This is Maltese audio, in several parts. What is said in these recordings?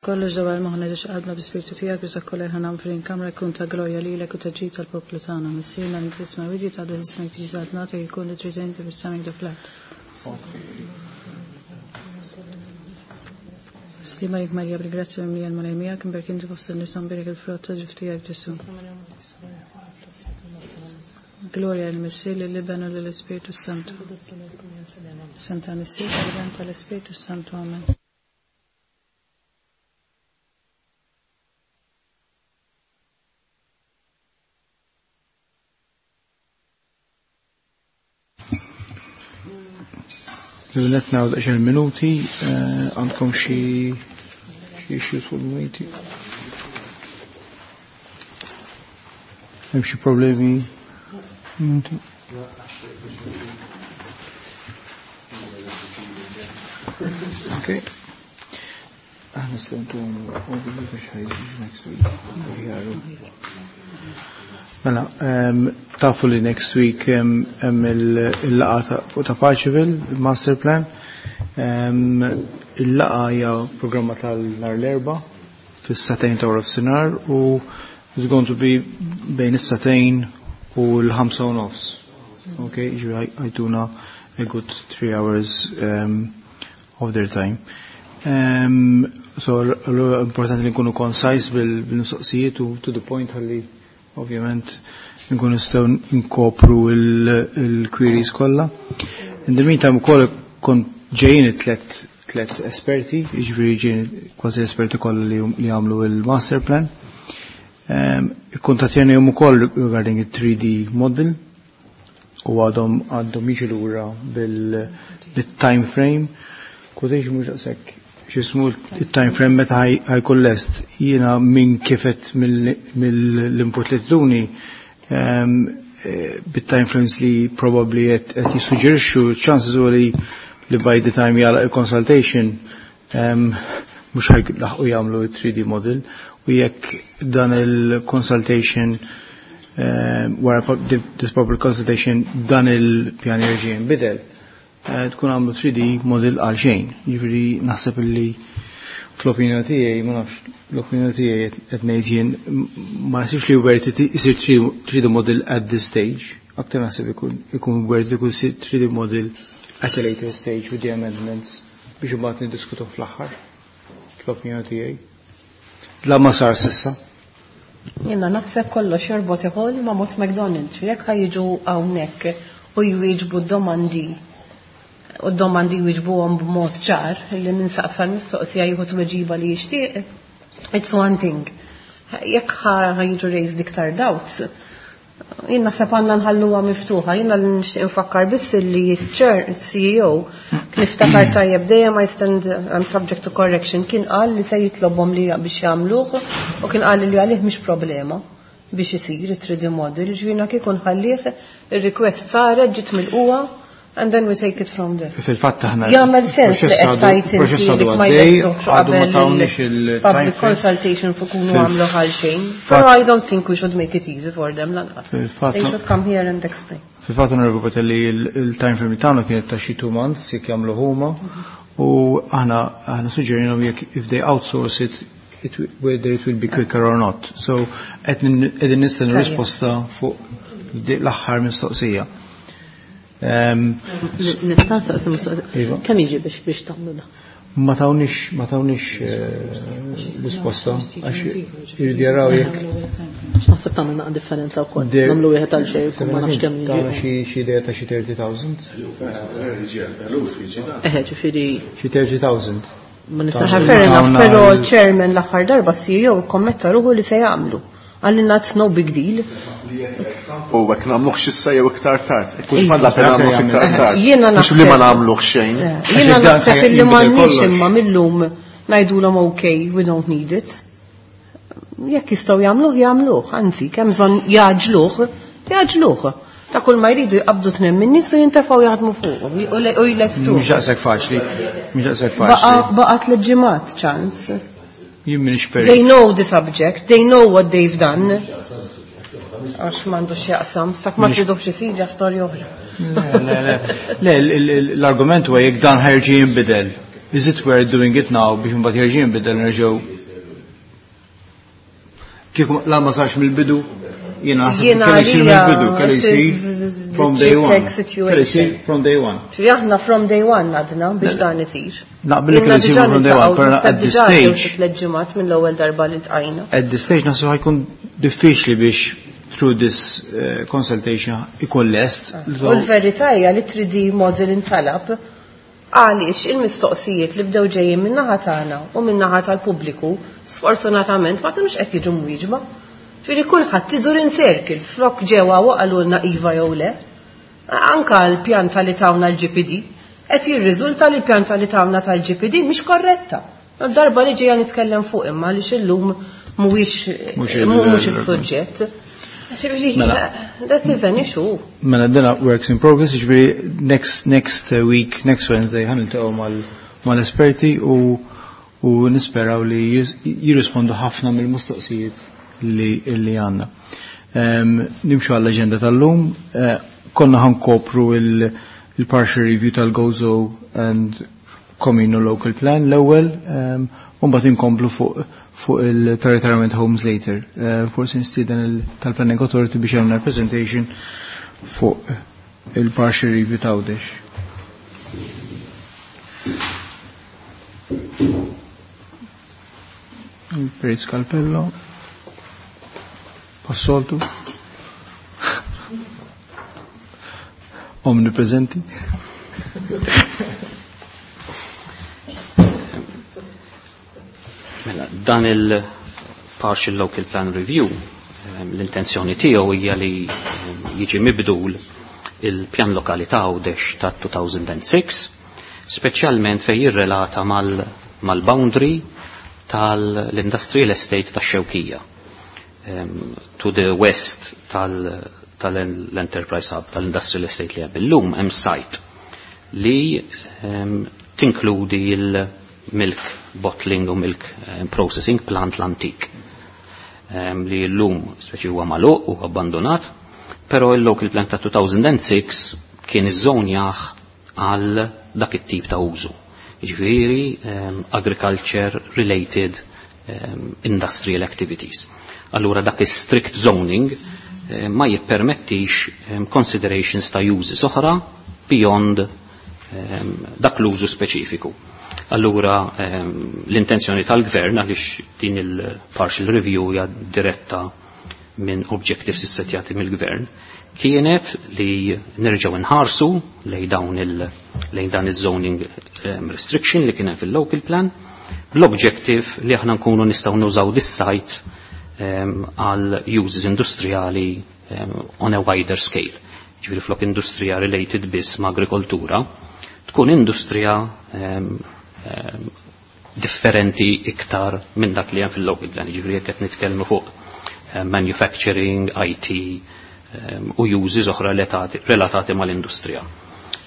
Kollox dawar moħħna ġiex qalbna bi-Spirtu tiegħek biex dak kollha li nagħmlu f'din kamra jkun ta' glorja lilek u ta' ġid tal-poplu tagħna. Missierna li fis-sma wiġi ta' ismek tiġi saltnatek ikun li trid inti fis-sema kif fl-art. Slima lik Marija bil-grazzja mimlija l-Mulej miegħek, imberk inti fost in-nisa mbierek il-frott ta' ġuf tiegħek Ġesù. Gloria lill-Missier, lill-Iben u lill-Ispirtu Santu. Santa Missier, tal-Iben tal-Ispirtu Santu. Amen. Netna għal minuti, eh, għandkom xi xi issues fuq il-minuti. Hemm xi problemi? Minuti. Okay. Aħna nistgħu overview ta' xi next week. Mela, tafu li next week hemm il-laqgħa fuq ta' Paċeville, il-master plan. Il-laqgħa hija programma tal-nhar l-Erbgħa fis-sagħtejn ta' wara sinar u it's going to be bejn is-sagħtejn u l-5:30. Okay, ġifieri ħa jtuna a good 3 hours of their time. So, allura importanti li nkunu concise bil-mistoqsijiet u to the point ħalli ovvjament nkunu nistgħu nkopru il-queries kollha. In the meantime ukoll kont ġejjin it-tlet tlet esperti, jiġifieri ġejjin kważi esperti kollha li għamlu il-master plan. Ikkuntattjani ukoll regarding il-3D model u għadhom jiġu lura bil-time frame. Quotation mhux daqshekk x'ismu il-time frame meta ħa jkun lest. Jiena minn kifet mill-input li tuni bit-time frames li probably qed jissuġġerixxu, chances huwa li by the time jagħlaq il-consultation mhux ħa jlaħqu jagħmlu 3D model u jekk dan il-consultation wara this public consultation dan il-pjan jerġa' jinbidel, tkun għamlu 3D model għal xejn. Jiġifieri naħseb illi fl-opinjoni tiegħi, ma nafx, l-opinjoni tiegħi qed ngħid jien, ma naħsibx li worth it isir 3D model at this stage. Aktar naħseb ikun worth it ikun 3D model at a later stage with the amendments biex imbagħad niddiskutu fl-aħħar. Fl-opinjoni tiegħi. La ma sar s'issa. Jiena naħseb kollox jorbot ieħor ma' Mott McDonald. Jekk ħa jiġu hawnhekk u jwieġbu domandi u d-domandi jwieġbuhom b'mod ċar li min saqsa l-mistoqsija jieħu tweġiba li jixtieq, it's one thing. Jekk ħa jiġu raised iktar doubts, jien naħseb għandna nħalluha miftuħa, jiena li nixtieq nfakkar biss li chair CEO niftakar tajjeb dejjem I stand I'm subject to correction kien qal li se jitlobhom li biex jagħmluh u kien qal li għalih mhix problema biex isir it-3D model, ġifieri kieku nħallih ir-request saret ġiet milquha and then we take it from there. Fil-fatt aħna Jagħmel sens li qed tgħid proċess inti għadu li ma għaddej, jlestux għadu ma qabel tawniex il-public il-time frame. consultation fuq kunu għamlu għal xejn. Però I don't think we should make it easy for them lanqas. Fil-fatt They should come here and explain. Fil-fatt onorevoli li il-time frame li tagħna kienet ta' xi 2 months jekk jagħmlu huma u aħna suġġerinhom jekk if they outsource it, whether it will be quicker or not. So qegħdin nistennu Tajjeb. risposta fuq l-aħħar mistoqsija. Nista' nsaqsi mistoqsija. Iva. Kemm jiġi biex tagħmlu da? Ma tawniex risposta għax iridu jaraw jekk X'naħseb tagħmel naqa' differenza wkoll. Nagħmlu wieħed għal xejn u ma nafx kemm Tawna jiġi. xi idea ta' xi 30,000. Eħe, ġifieri Xi 30,000. ma nistax. Fair enough, Tawna però chairman l-aħħar darba CEO kommetta ruħu li se jagħmlu. Għalli it's no big deal. U hekk nagħmluh issa jew iktar tard. Kux ma la pena nagħmluh iktar tard. Jiena Mhux li ma naħseb- nagħmluh xejn. Jiena Għax dan naħseb illi jinbidel m'għandniex kollox. imma millum ngħidulhom okay, we don't need it. Jekk jistgħu jagħmluh, jagħmluh, anzi, kemm bżonn jgħaġġluh, jgħaġġluh. Ta' kull ma jridu jqabdu tnejn minn nies u jintefgħu jaħdmu fuq u jlestuh. Mhux daqshekk faċli. Mhux daqshekk Baqa faċli. baqa tliet ġimgħat ċans. Jien m'iniex They perit. know the subject, they know what they've done. Għax m'għandux jaqsam, sak ma tridux isir ġa storja oħra. Le, le, le. Le, l-argument huwa jekk dan ħa jerġa' jinbidel. Is it worth doing it now biex imbagħad jerġa' jinbidel nerġgħu Kieku la ma sarx mill-bidu, jiena naħseb kellu jsir mill-bidu, kellu jsir from day one. Kellu jsir from day one. Ġifieri aħna from day one għadna biex dan isir. Naqbel li kellu jsir from day one, però at this stage. Tliet ġimgħat mill-ewwel darba li tqajna. At this stage naħseb ħajkun diffiċli biex through this consultation ikun lest. U l-verità hija li 3D model intalab għaliex il-mistoqsijiet li bdew ġejjin min-naħa tagħna u min-naħa tal-pubbliku sfortunatament ma kinux qed jiġu mwieġba. Ġifieri kulħadd idur in circles flok ġewwa u qalulna iva jew le. Anka l-pjanta li tawna l-GPD qed jirriżulta li l-pjanta li tawna tal-GPD mhix korretta. Darba li ġejja nitkellem fuq imma għaliex illum mhuwiex is-suġġett. That is an issue. Mela dina works in progress, ġifieri next week, next Wednesday ħa niltaqgħu mal-esperti u nisperaw li jirrispondu ħafna mill-mistoqsijiet li għandna. Nimxu għall-aġenda tal-lum, konna ħankopru il-partial review tal-Gozo and Communal Local Plan l-ewwel, u mbagħad inkomplu fuq il-Retirement Homes later. Forsi nistieden tal-Planning Authority biex jagħmlu presentation fuq il-partial review ta' Għawdex. Il-Perit Scalpello, passoltu, omnipresenti. Mela, dan il-Partial Local Plan Review, l-intenzjoni tiegħu hija li jiġi mibdul il-pjan lokali ta' Għawdex ta' 2006, speċjalment fejn jirrelata mal-boundary tal-Industrial Estate ta' Xewkija. To the west tal-Enterprise Hub, tal-Industrial Estate li hemm illum hemm site li tinkludi il-milk bottling u milk processing plant l-antik. Li l-lum speċi huwa magħluq u abbandonat, però il-local plant ta' 2006 kien iż-żonjaħ għal dak it-tip ta' użu. Jiġifieri agriculture related industrial activities. Allura dak is-strict zoning ma jippermettix considerations ta' uses oħra beyond dak l-użu speċifiku. Allura l-intenzjoni tal-gvern għaliex din il-partial review hija diretta minn objectives issettjati mill-gvern kienet li nerġgħu nħarsu lejn dawn lejn dan iż-zoning restriction li kien hemm fil-local plan bl-objective li aħna nkunu nistgħu nużaw dis-site għal uses industrijali on a wider scale. Ġifieri flok industrija related biss ma' agrikoltura, tkun industrija differenti iktar minn dak li hemm fil-local plan. Ġifieri jekk qed nitkellmu fuq manufacturing, IT u uses oħra relatati mal-industrija.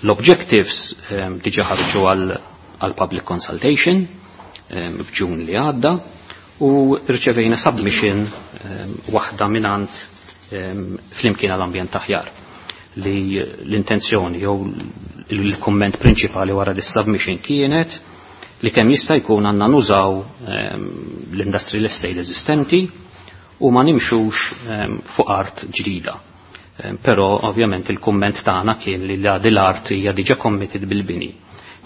L-objectives diġa ħarġu għal public consultation f'Ġun li għadda u rċevejna submission waħda minant Flimkien għall-Ambjent Aħjar li l-intenzjoni jew il-komment prinċipali wara dis-submission kienet li kemm jista' jkun għandna nużaw l-industrial estate eżistenti u ma nimxux fuq art ġdida. Però ovvjament il-kumment tagħna kien li l-art hija diġà committed bil-bini.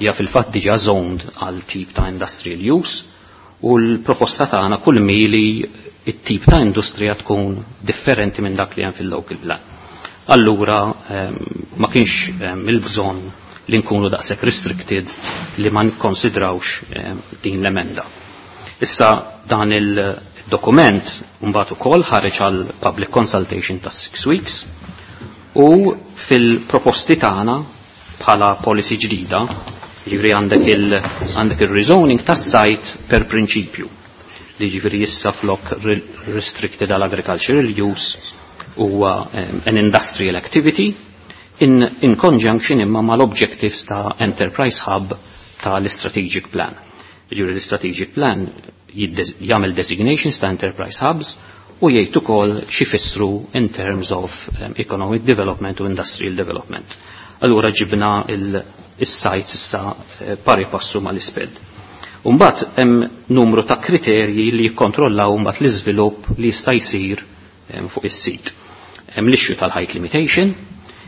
Hija fil-fatt diġà zoned għal tip ta' industrial use u l-proposta tagħna kull mili it-tip ta' industrija tkun differenti minn dak li hemm fil-local plan. Allura ma kienx il-bżonn li nkunu daqshekk restricted li ma nikkonsidrawx din l-emenda. Issa dan il-dokument mbagħad ukoll ħareġ għal public consultation ta' 6 weeks u fil-proposti tagħna bħala policy ġdida, jiġifieri għandek il-rezoning tas-site per prinċipju li jiġifieri issa flok restricted għal agricultural use huwa an industrial activity in conjunction imma mal-objectives ta' Enterprise Hub tal-Strategic Plan. Jiġifieri l-Strategic Plan jagħmel designations ta' Enterprise Hubs u jgħid ukoll x'ifissru in terms of economic development u industrial development. Allura ġibna il-sites issa pari passu mal-isped. Mbagħad hemm numru ta' kriterji li jikkontrollaw mbagħad l-iżvilupp li jista' jsir fuq is-sit. Hemm l-issue tal-height limitation,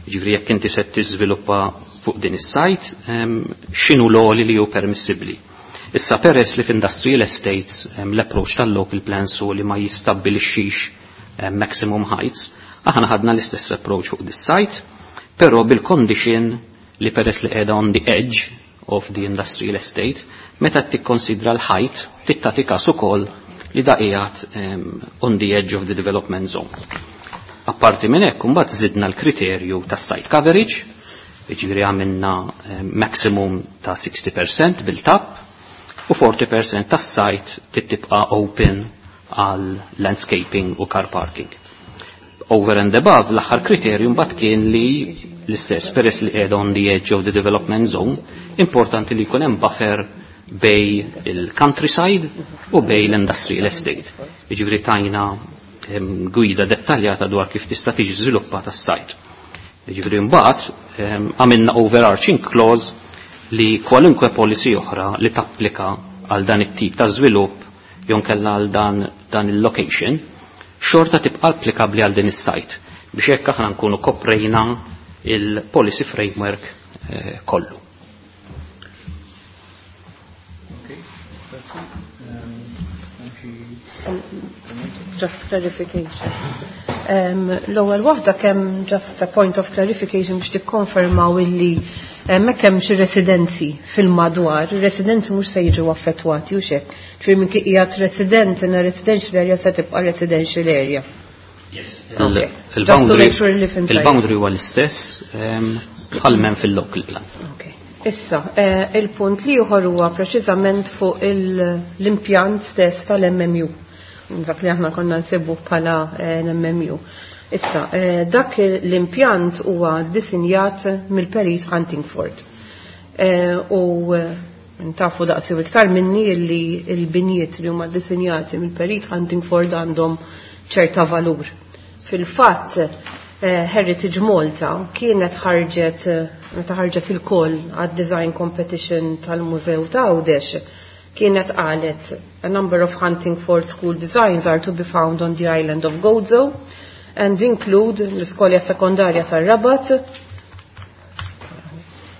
jiġifieri jekk inti se tiżviluppa fuq din is-site, x'inhu l-għoli li hu permissibbli. Issa peress li f'industrial estates l-approach tal-local plans hu li ma jistabbilixxix maximum heights, aħna ħadna l-istess approach fuq dis-site, però bil-condition li peress li qiegħda on the edge of the industrial estate, meta tikkonsidra l-height, tagħti każ ukoll li da qiegħed on the edge of the development zone. Apparti minn hekk imbagħad żidna l-kriterju tas-site coverage, jiġifieri għamilna maximum ta' 60% built-up u 40% tas-site tibqa' open għal landscaping u car parking. Over and above, l-aħħar kriterju mbagħad kien li l-istess peress li qiegħda on the edge of the development zone, importanti li jkun hemm buffer bejn il-countryside u bejn l-industrial estate. Jiġifieri tajna gwida dettaljata dwar kif tista' tiġi żviluppata s-site. Jiġifieri mbagħad għamilna overarching clause li kwalunkwe policy oħra li tapplika għal dan it-tip ta' żvilupp jew kellha għal dan il-location, xorta tibqa' applikabbli għal din is-site biex hekk aħna nkunu koprejna il-policy framework kollu. Okay, that's it. Just clarification. L-ewwel waħda kemm just a point of clarification biex tikkonfermaw illi hemmhekk hemm xi residenzi fil-madwar, ir-residenzi mhux se jiġu affettwati u x'hekk. Ġifieri minn qiegħed resident in a residential area se tibqa' residential area. Yes. Okay. Just to make sure li fhimt tajjeb. Il-boundary huwa l-istess bħal m'hemm fil-local plan. Okay. Issa, il-punt li ieħor huwa preċiżament fuq l-impjant stess tal-MMU. Dak li aħna konna nsibu bħala l-MMU. Issa, dak l-impjant huwa disinjat mill-Perit Huntingford. U ntafu daqsi u iktar minni li l-binjiet li huma disinjati mill-Perit Huntingford għandhom ċerta valur. Fil-fatt, Heritage Malta kienet ħarġet, meta ħarġet il-call għad-design competition tal-Mużew ta' Għawdex, kienet qalet a number of Huntingford school designs are to be found on the island of Gozo and include l-iskola sekondarja tar-Rabat,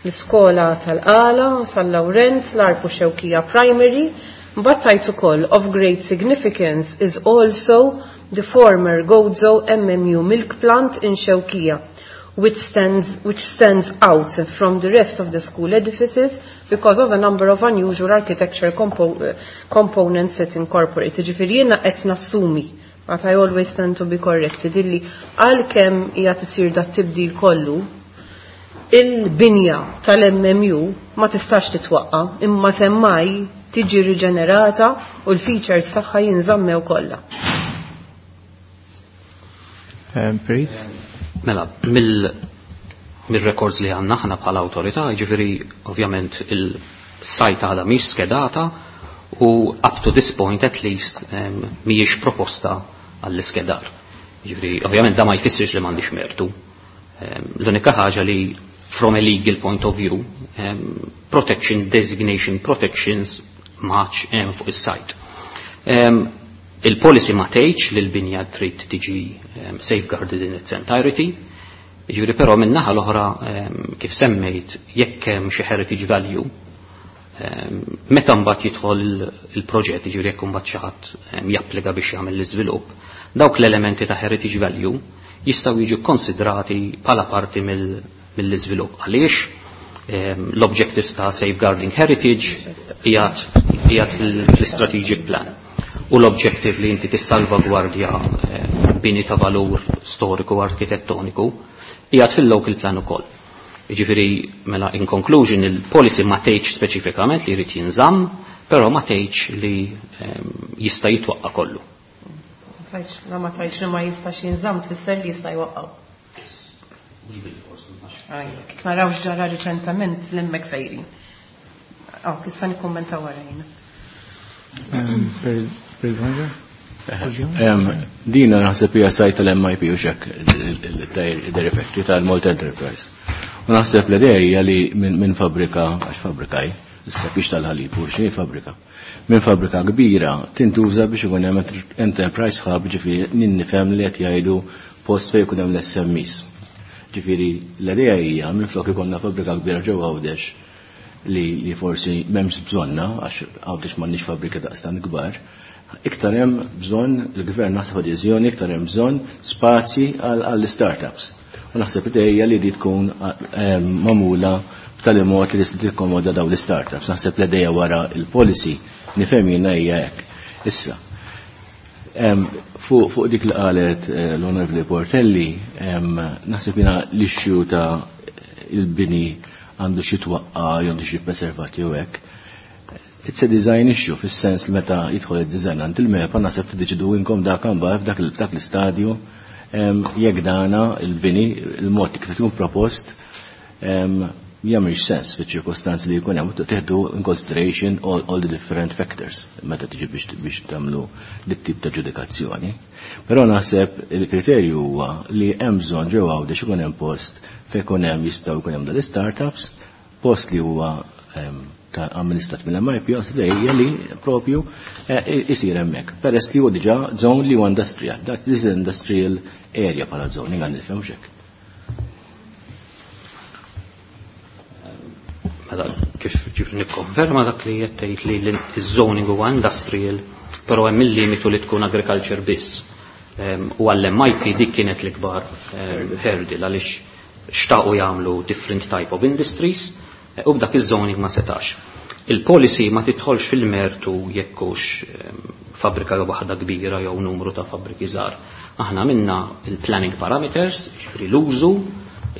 l-iskola tal-Qala, San Laurent, l-Għarb u Xewkija Primary, but tajt ukoll of great significance is also the former Gozo MMU milk plant in Xewkija, which stands out from the rest of the school edifices because of a number of unusual architecture components it incorporates. Ġifieri jiena qed nassumi, but I always tend to be corrected, illi għalkemm hija tisir dat tibdil kollu, il-binja tal-MMU ma tistax titwaqqa, imma semmaj tiġi riġenerata u l-features tagħha jinżammew kollha. Perit? Mela, mill-records li għandna aħna bħala awtorità, jiġifieri ovvjament il-site għadha mhix skedata u up to this point at least mhijiex proposta għall-iskedar. Jiġifieri ovvjament da ma jfissirx li m'għandix mertu. L-unika ħaġa li from a legal point of view, protection, designation, protections maċ hemm fuq is-site. Il-policy ma tgħidx li l-binja trid tiġi safeguarded in its entirety, jiġifieri però min-naħa l-oħra kif semmejt jekk hemm xi heritage value, meta mbagħad jidħol il-proġett, jiġifieri jekk imbagħad xi ħadd japplika biex jagħmel l-iżvilupp, dawk l-elementi ta' heritage value jistgħu jiġu konsidrati bħala parti mill-iżvilupp. Għaliex l-objectives ta' safeguarding heritage qiegħed fl-strategic plan. U l-objective li inti tissalvagwardja bini ta' valur storiku u arkitettoniku qiegħed fil-local plan ukoll. Jiġifieri mela in conclusion il-policy ma tgħidx speċifikament li jrid jinżamm, però ma tgħidx li jista' jitwaqqa' kollu. Tajx, la ma tgħidx li ma jistax jinżamm tfisser li jista' jwaqqgħu. Mhux bil-fors, Aj, kif naraw x'ġara riċentament l-hemmhekk sejrin. Aw, issa nikkummenta wara jiena. Dina naħseb hija site tal-MIP u xek il-Dairy Factory tal-Malta Enterprise. U naħseb l-idea hija li minn fabbrika, għax fabbrikaj, Issa biex tal-ħalib u xejn fabbrika. Minn fabbrika kbira tintuża biex ikun hemm enterprise hub, ġifieri nifhem li qed jgħidu post fejn ikun hemm l-SMEs. Ġifieri l-idea hija minflok ikollna fabbrika kbira ġewwa Għawdex li forsi m'hemmx bżonna għax Għawdex m'għandniex fabbrika daqstant kbar, iktar hemm bżonn il-gvern naħseb adeżjoni, iktar hemm bżonn spazji għall-startups. U naħseb idea li di tkun magħmula b'tali mod li tista' tikkomoda dawn l-startups. Naħseb l-idea wara il-policy nifhem jiena hija hekk. Issa, fuq dik li qalet l-Onorevoli Portelli, naħseb jiena l-issue ta' il-bini għandu xi twaqqa' jew għandu xi preservat jew hekk. It's a design issue fis-sens li meta jidħol id-design għand il-MEPA naħseb tiddeċidu inkom dak imbagħad f'dak l-istadju jekk dana il-bini il-mod kif ikun propost jagħmilx sens fiċ-ċirkostanzi li jkun hemm, teħdu in consideration all the different factors meta tiġi biex tagħmlu dit tip ta' ġudikazzjoni. Però naħseb il-kriterju huwa li hemm bżonn ġewwa Għawdex ikun hemm post fejn ikun hemm jistgħu jkun hemm dal-startups, post li huwa ta' amministrat mill-MIP, hija li propju isir hemmhekk. Peress li huwa diġà zone li huwa industrial, dak is industrial area bħala zone, ingan nifhem x'hekk. Mela, kif ġifri nikkonferma dak li qed tgħid li l-zoning huwa industrial, però hemm il-limitu li tkun agriculture biss. U għall-MIP dik kienet l-ikbar hurdle għaliex xtaqu jagħmlu different type of industries u b'dak iż-zoning ma setax. Il-policy ma tidħolx fil-mertu jekkux fabbrika jew waħda kbira jew numru ta' fabbriki żgħar. Aħna minna il-planning parameters, ġifieri l-użu,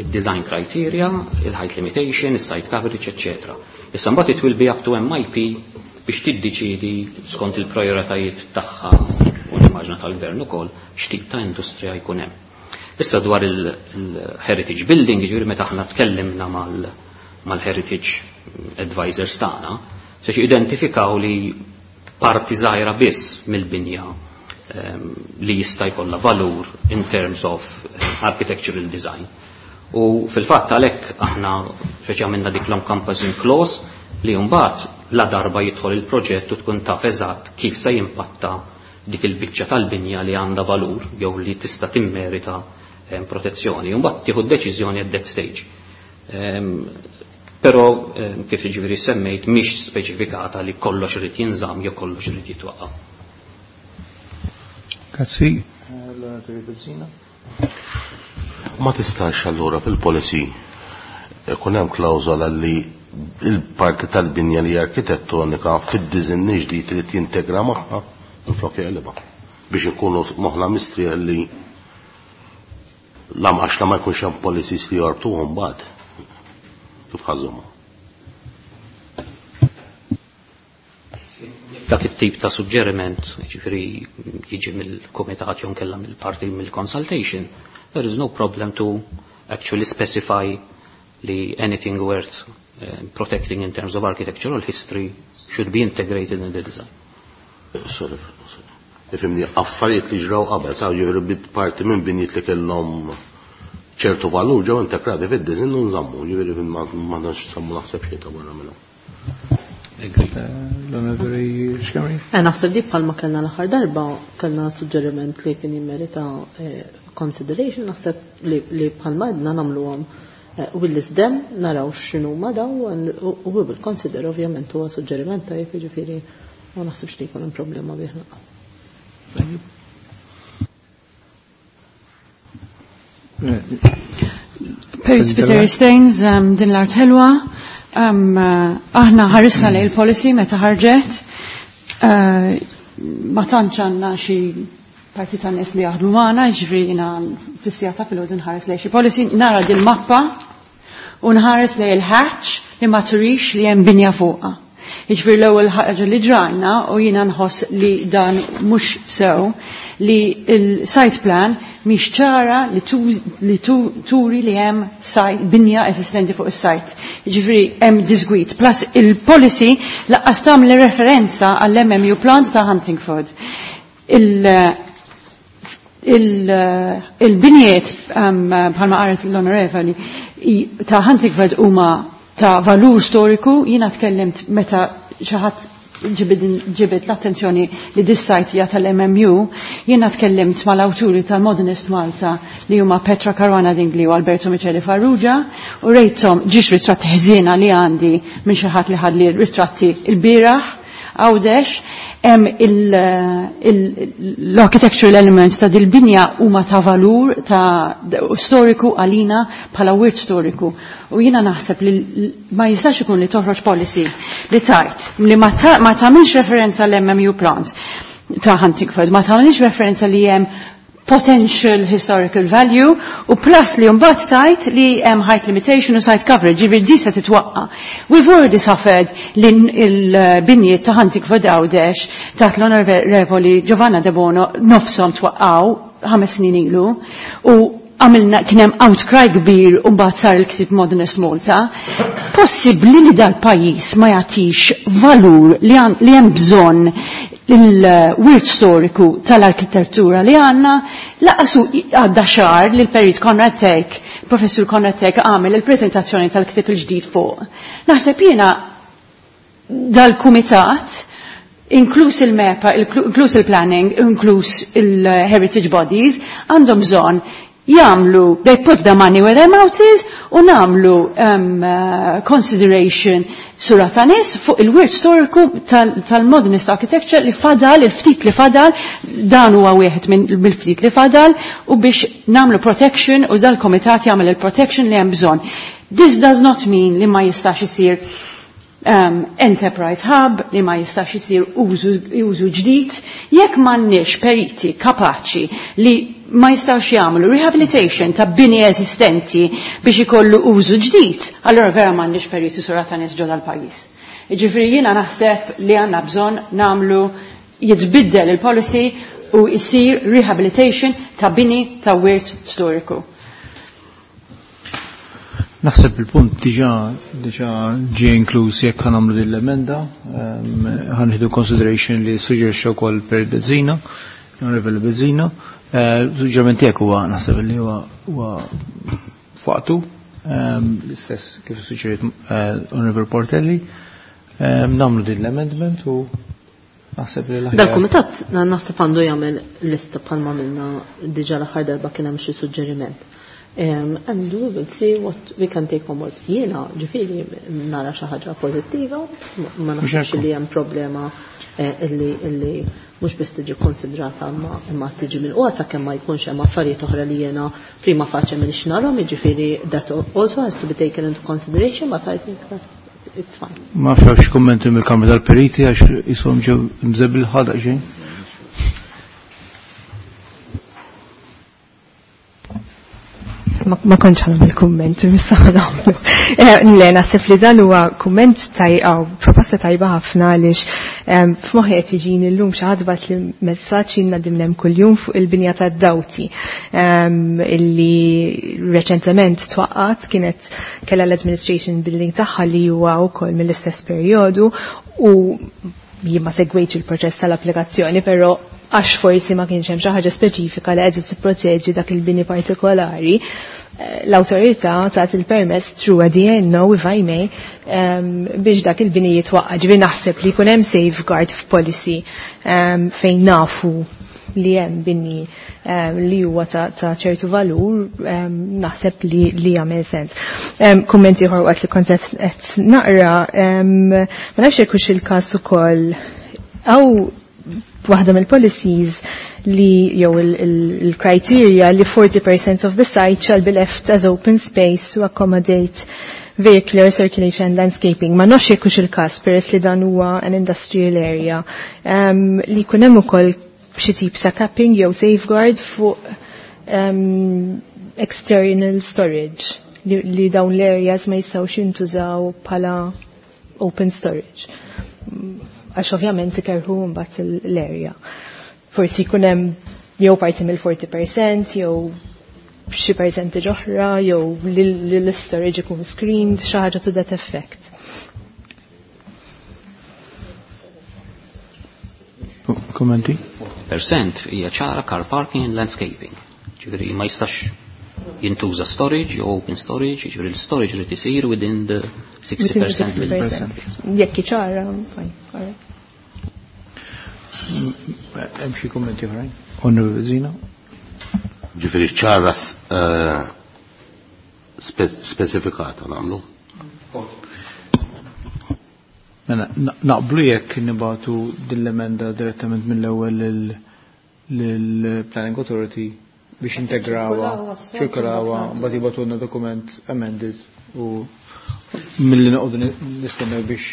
il-design criteria, il-height limitation, il-site coverage, etc. Issa mbagħad it will be up to MIP biex tiddeċidi skont il-prioritajiet tagħha u l-immaġna tal-gvern ukoll x'tip ta' industrija jkun hemm. Issa dwar il-heritage building, jiġifieri meta aħna tkellimna mal-heritage advisors tagħna, se identifikaw li parti żgħira biss mill-binja li jista' jkollha valur in terms of architectural design. U fil-fatt għalhekk aħna feċi għamilna dik l-encompassing clause li mbagħad la darba jidħol il-proġett u tkun taf eżatt kif se jimpatta dik il-biċċa tal-binja li għandha valur jew li tista' timmerita protezzjoni. Mbagħad tieħu deċiżjoni at that stage. Però kif jiġifieri semmejt mhix speċifikata li kollox irid jinżamm jew kollox irid jitwaqqa'. Grazzi. Ma tistax allura fil-policy ikun hemm klawżola li il-parti tal-binja li arkitettonika fid-diżinn ġdid li tintegra magħha minflok jeqlibha biex ikunu moħħna mistrieħ li la għax la ma jkunx hemm policies li jorbtuhom mbagħad. Kif ħażhom? Dak it-tip ta' suġġeriment, ġifieri jiġi mill-kumitat jew nkella mill-parti mill-consultation, there is no problem to actually specify li anything worth protecting in terms of architectural history should be integrated in the design. Sorry, sorry. Ifimni, affarijiet li ġraw qabel, sa' ġifieri bit parti minn binjiet li kellhom ċertu valur ġew integrati fid-design u nżammu, ġifieri ma nafx sammu naħseb xejn ta' barra minnhom. L-Onorevoli Schembri? Naħseb dik bħalma kellna l-aħħar darba, kellna suġġeriment li kien jimmerita consideration, naħseb li bħalma għedna nagħmluhom u l-isdem naraw x'inhu ma daw u we will consider ovvjament huwa suġġeriment tajjeb, jiġifieri ma naħsibx li jkun hemm problema bih lanqas. Thank you. Perit Spiteri Staines, din l-art ħelwa. Aħna ħarisna lejn il-policy meta ħarġet. Ma tantx għandna xi parti ta' nies li jaħdmu magħna, jiġifieri jiena fis-sija ta' filgħodu nħares lejn xi policy, nara din mappa u nħares lejn il-hatch li ma turix li hemm binja fuqha. Jiġifieri l-ewwel ħaġa li ġrajna u jiena nħoss li dan mhux sew li il-site plan mhix ċara li turi li hemm binja eżistenti fuq is-site. Jiġifieri hemm disgwit. Plus il-policy laqqas tagħmel referenza għall-MMU plant ta' Huntingford. Il-binjiet bħalma qaret l-Onorevoli ta' Huntingford huma ta' valur storiku. Jiena tkellimt meta xi ħadd ġibed l-attenzjoni li dis-sajt hija tal-MMU, jiena tkellimt mal-awturi tal-Modernist Malta li huma Petra Caruana Dingli u Alberto Michele Farrugia u rejthom ġiex ritratti ħżiena li għandi minn xi ħadd li ħadli ritratti l-bieraħ Għawdex, hemm l-architectural elements ta' dil-binja huma ta' valur ta' storiku għalina bħala wirt storiku. U jiena naħseb li ma jistax ikun li toħroġ policy li tajt li ma tagħmilx referenza l-MMU plant ta' Huntingford, ma tagħmilx referenza li hemm potential historical value u plus li mbagħad tajt li hemm height limitation u site coverage, ġifieri di se titwaqqa. We've already suffered li l-binjiet ta' Huntingford Għawdex taħt l-Onorevoli Giovanna De Bono nofshom twaqqaw 5 snin ilu u għamilna kien hemm outcry kbir u mbagħad sar il-ktib Modernist Malta. Possibbli li dal-pajjiż ma jagħtix valur li hemm bżonn il-wirt storiku tal-arkitettura li għandna? Laqasu għadda xahar li l-perit Konrad Tek, professur Konrad Tek għamel il-prezentazzjoni tal-ktib il-ġdid fuq. Naħseb jiena dal-kumitat, inkluż il-MEPA, inkluż il-planning, inkluż il-heritage bodies, għandhom bżonn jagħmlu, they put the money where their mouth is, u nagħmlu consideration sura ta' nies fuq il-wirt storiku tal-modernist architecture li fadal, il-ftit li fadal, dan huwa wieħed mill-ftit li fadal, u biex nagħmlu protection u dal-komitat jagħmel il-protection li hemm bżonn. This does not mean li ma jistax isir enterprise hub, li ma jistax isir użu ġdid, jekk m'għandniex periti kapaċi li ma jistax jagħmlu rehabilitation ta' bini eżistenti biex ikollu użu ġdid, allora vera m'għandniex periti sura ta' nies ġodda l-pajjiż. Jiġifieri jiena naħseb li għandna bżonn nagħmlu jitbiddel il-policy u jisir rehabilitation ta' bini ta' wirt storiku. Naħseb il-punt diġà ġie inkluż jekk ħa nagħmlu din l-emenda, ħa nieħdu consideration li suġġerixxa wkoll per Bezzina, Onorevole Bezzina. Suġġeriment tiegħek huwa naħseb li huwa f'waqtu, l-istess kif suġġeriet Onorevole Portelli. Nagħmlu din l-amendment u naħseb li l-aħjar. Dal-kumitat naħseb għandu jagħmel lista bħalma minna diġà l-aħħar darba kien hemm xi suġġeriment. And we will see what we can take on board. Jiena ġifieri nara xi ħaġa pożittiva, ma naħsibx li hemm problema illi mhux biss tiġi konsidrata imma tiġi milqugħa sakemm ma jkunx hemm affarijiet oħra li jiena prima facie m'iniex narhom, jiġifieri that also has to be taken into consideration, but I think that it's fine. Ma fewx kummenti mill-Kamra tal-Periti għax jisom ġew mżebbil ħadaq xejn. Ma kontx ħa kumment, issa nagħmlu. Le, naħseb li dan huwa kumment tajba, proposta tajba ħafna għaliex f'moħħi qed jiġini llum xi ħadd bagħat li messaġġ ilna dimnem kuljum fuq il-binja tad-Dawti illi reċentement twaqqat, kienet kellha l-administration building tagħha li huwa wkoll mill-istess perjodu u jien ma segwejtx il-proċess tal-applikazzjoni, però għax forsi ma kienx hemm xi ħaġa speċifika li qed tipproteġi dak il-bini partikolari, l-awtorità tat il-permess through a DNO, if I may, biex dak il-bini jitwaqqa. Ġifieri naħseb li jkun hemm safeguard f'policy fejn nafu li hemm bini li huwa ta' ċertu valur, naħseb li jagħmel sens. Kummenti ieħor waqt li kont qed naqra, ma nafx jekk hux il-każ ukoll għaw waħda mill-policies li jew il-criteria li 40% of the site shall be left as open space to accommodate vehicular circulation and landscaping. Ma nafx jekk hux il-każ peress li dan huwa an industrial area li jkun hemm ukoll xi tip ta' capping jew safeguard fuq external storage li dawn l-areas ma jistgħux jintużaw bħala open storage. Għax ovvjament ikerħu mbagħad l-area. Forsi jkun hemm jew parti mill-40% jew xi percentage oħra jew li l-storage ikun screened, xi ħaġa to that effect. Kommenti? Percent hija ċara car parking and landscaping. Ġifieri ma jistax jintuża storage jew open storage, ġifieri l-storage irid isir within the 60% mill-percent. Jekk ċara, fine, all right. Hemm xi kummenti oħrajn? Onorevoli Zina? Ġifieri ċara speċifikata nagħmlu. Mela, naqblu jekk nibatu din l-emenda direttament mill-ewwel lill-Planning Authority biex integrawa, ċirkolawa, mbagħad jibgħatulna dokument amended u milli noqogħdu nistennew biex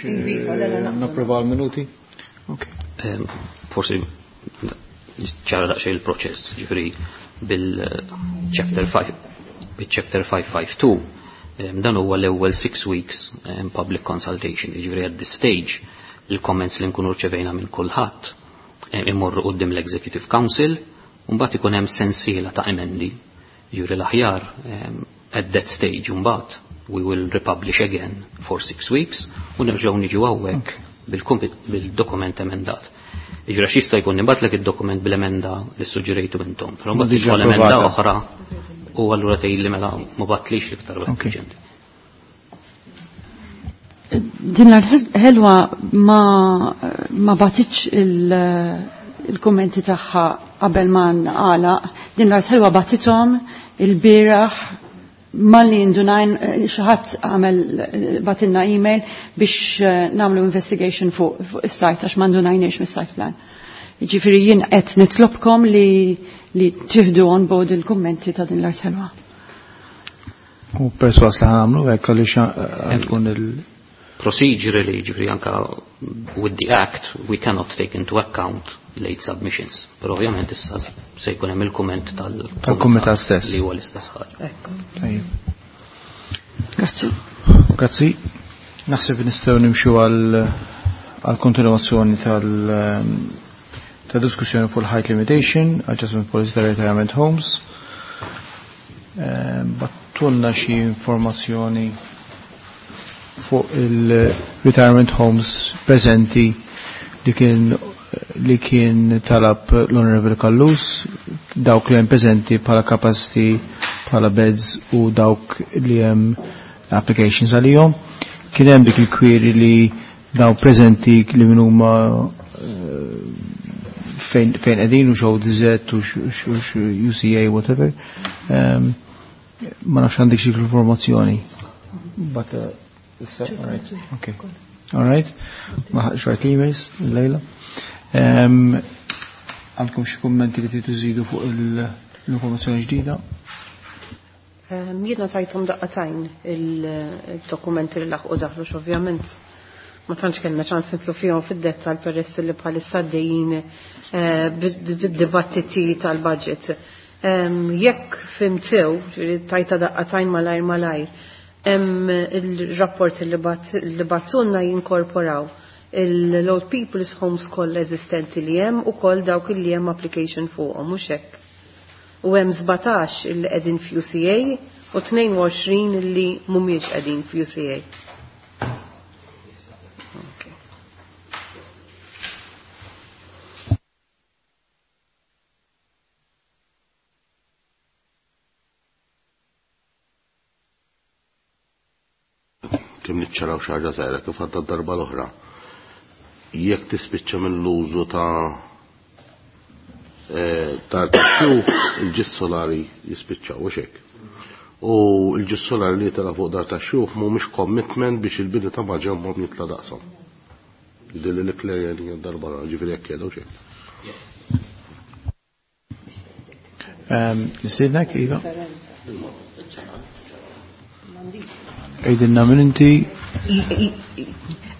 napprovaw l-minuti. Okay. Forsi ċara daqsxejn il-proċess, ġifieri bil-chapter 5 bil-chapter 552 dan huwa l-ewwel 6 weeks public consultation, ġifieri at this stage il-comments li nkunu rċevejna minn kulħadd imorru quddiem l-Executive Council u mbagħad ikun hemm sensiela ta' emendi. Ġifieri l-aħjar at that stage mbagħad we will republish again for 6 weeks u nerġgħu niġu hawnhekk bil-dokument emendat. Ġifieri għax jista' jkun nibgħatlek id-dokument bil-emenda li suġġerejtu intom, però mbagħad Diġà tidħol emenda approvata. oħra u allura tgħidli mela ma batlix l-iktar wieħed urġenti. Din l-ħelwa ma batitx il-kommenti tagħha qabel ma nqalaq. Din l-ħelwa batithom il-bieraħ malli indunajn xi ħadd għamel batilna email biex nagħmlu investigation fuq is-site għax ma ndunajniex mis-site plan. Jiġifieri jien qed nitlobkom li tieħdu on board il-kummenti ta' din l-art ħelwa. U perswas li ħanamlu hekk għaliex tkun il- Procedurally, ġifieri anka with the Act, we cannot take into account late submissions. Però ovvjament issa se jkun hemm il-kumment Tal-kumitat stess. Li huwa l-istess ħaġa. Tajjeb. Grazzi. Grazzi. Naħseb nistgħu nimxu għal kontinuazzjoni ta' diskussjoni fuq il-height limitation, adjustment policy ta' retirement homes. Battulna xi informazzjoni fuq il-retirement homes preżenti li kien talab l-Honorable Callus, dawk li hemm preżenti bħala capacity, bħala beds u dawk li hemm applications għalihom. Kien hemm dik il-query li daw preżenti li min huma fejn qegħdin u xew DZ u UCA whatever. Ma nafx għandek xi informazzjoni. But issa, all right. Okay. All right. Ma ħaqx rajt emails lejla. Għandkom xi kummenti li tridu żidu fuq l-informazzjoni ġdida? Jiena tajthom daqqatajn il-dokumenti li laħqu daħlu ovvjament ma tantx kellna ċans nitlu fihom fid-dettall peress li bħalissa għaddejjin bid-dibattiti tal-budget. Jekk fimtew, ġifieri tajta daqqatajn malajr malajr, hemm il-rapport li battunna jinkorporaw l-Old People's Homes kollha eżistenti li hemm u koll dawk li hemm application fuqhom, mhux hekk. U hemm 17 li qegħdin f'UCA u 22 li mhumiex qegħdin f'UCA. Kemm niċċaraw xi ħaġa żgħira kif għadda d-darba l-oħra. Jekk tispiċċa mill-użu ta' dar tax-xjuħ, il-ġis solari jispiċċaw u xek. U l-ġis solari li tela fuq dar tax-xjuħ mhumiex commitment biex il-bini ta' maġenbhom jitla' daqshom. Dilli li klerja darba l-oħra, ġifieri jekk jgħidu xejn. Nistiednek, Iva? Għidilna minn inti.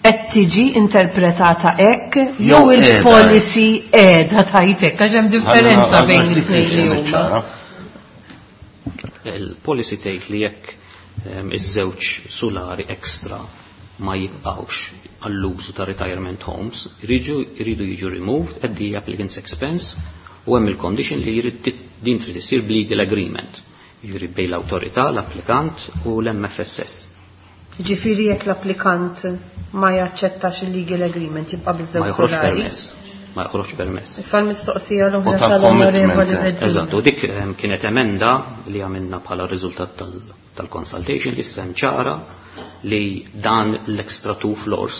Qed tiġi interpretata hekk jew Jew qiegħda. il-policy qiegħda tajt hekk għax hemm differenza Għandna bejn ftit it-tnejn li tiġi huma. ċara. Il-policy tgħid li jekk iż-żewġ solari extra ma jibqgħux għall-użu ta' retirement homes, jridu jiġu removed at the applicant's expense u hemm il-condition li jrid din trid isir b'legal agreement, jiġifieri bejn l-awtorità, l-applikant u l-MFSS. Ġifieri jekk l-applikant ma jaċċettax il-legal agreement jibqa' biż-żewġ Ma joħroġ solari? permess. ma joħroġ permess. Issa l-mistoqsija l-oħra tal-Onorevoli Bezzina. Eżatt, u dik kienet emenda li għamilna bħala riżultat tal-consultation li issa ċara li dan l-extra two floors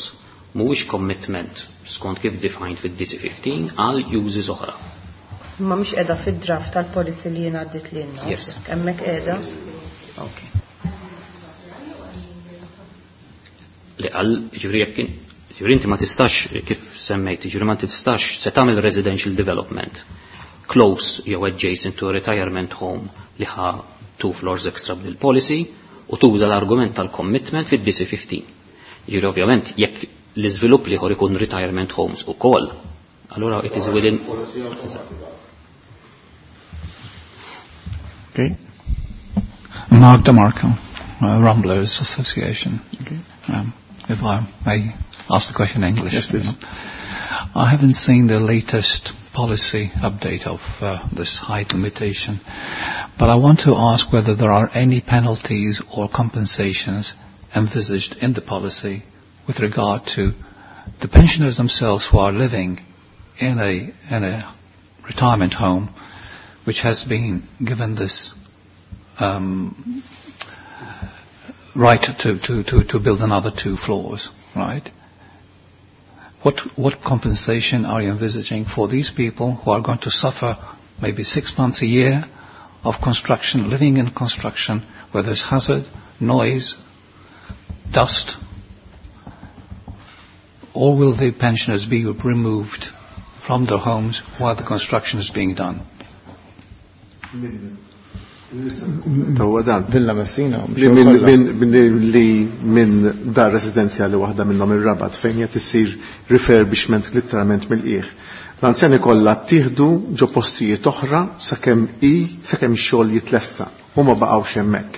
mhuwiex commitment skont kif defined fid-DC15 għal uses oħra. Ma mhix qiegħda fid-draft tal-policy li jien għaddit lilna. Yes. Hemmhekk qiegħda? Okay. Li għal, ġifieri jekk ġifieri inti ma tistax kif semmejt, ġifieri ma tistax se tagħmel residential development close jew adjacent to a retirement home li ħa two floors extra bil policy u tuża l-argument tal-commitment fid-DC15. Ġifieri ovvjament jekk l-iżvilupp li ikun retirement homes ukoll, allura it is within. Okay. Mark DeMarco, Ramblers Association. Okay. If I may ask the question in English. Yes, please. I haven't seen the latest policy update of this height limitation, but I want to ask whether there are any penalties or compensations envisaged in the policy with regard to the pensioners themselves who are living in a retirement home which has been given this right to build another two floors, right? What compensation are you envisaging for these people who are going to suffer maybe 6 months a year of construction, living in construction, where there's hazard, noise, dust? Or will the pensioners be removed from their homes while the construction is being done? Dan. Villa Messina. Li minn dar residenzjali waħda minnhom ir-Rabat fejn qed isir refurbishment literalment mill-qiegħ. L-anzjani kollha ttieħdu ġo postijiet oħra sakemm ix-xogħol jitlesta u ma baqgħux hemmhekk.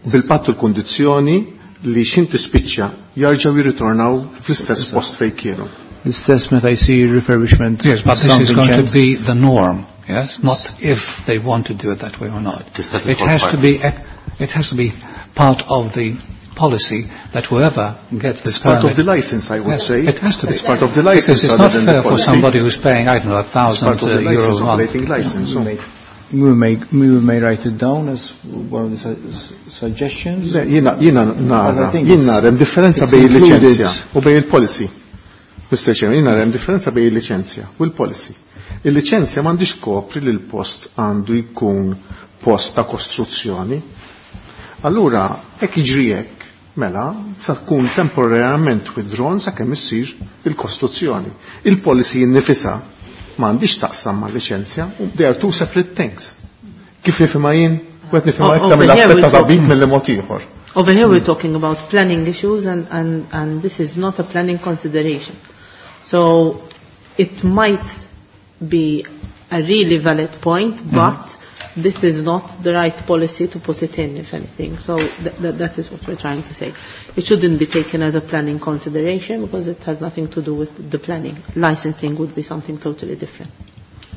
Bil-patt u l-kundizzjoni li xin tispiċċa jarġgħu jirritornaw fl-istess post fejn kienu. L-istess meta jsir refurbishment. Yes, but this is going to be the norm. Yes, not if they want to do it that way or not. It has to be, it has to be part of the policy that whoever gets this It's part permit, of the license, I would yes, say. It has to be. It's part of the license. Because it's not fair for somebody who's paying, I don't know, 1,000 euros a month. License, so. We may write it down as one of the suggestions. Jiena nara hemm differenza bejn il-liċenzja u bejn il-policy. Mr. Chairman, jiena nara hemm differenza bejn il-liċenzja u l-policy. Il-liċenzja m'għandix kopri li l-post għandu jkun post ta' kostruzzjoni. Allura, hekk jiġri hekk, mela, sa tkun temporarjament withdrawn sakemm issir il-kostruzzjoni. Il-policy innifisha m'għandix taqsam mal-liċenzja, they are two separate things. Kif nifhimha jien, u qed nifhimha iktar mill-aspett ta' tabib mill mod ieħor. Over here we're talking about planning issues and this is not a planning consideration. So it might be a really valid point, but this is not the right policy to put it in, if anything. So that is what we're trying to say. It shouldn't be taken as a planning consideration because it has nothing to do with the planning. Licensing would be something totally different.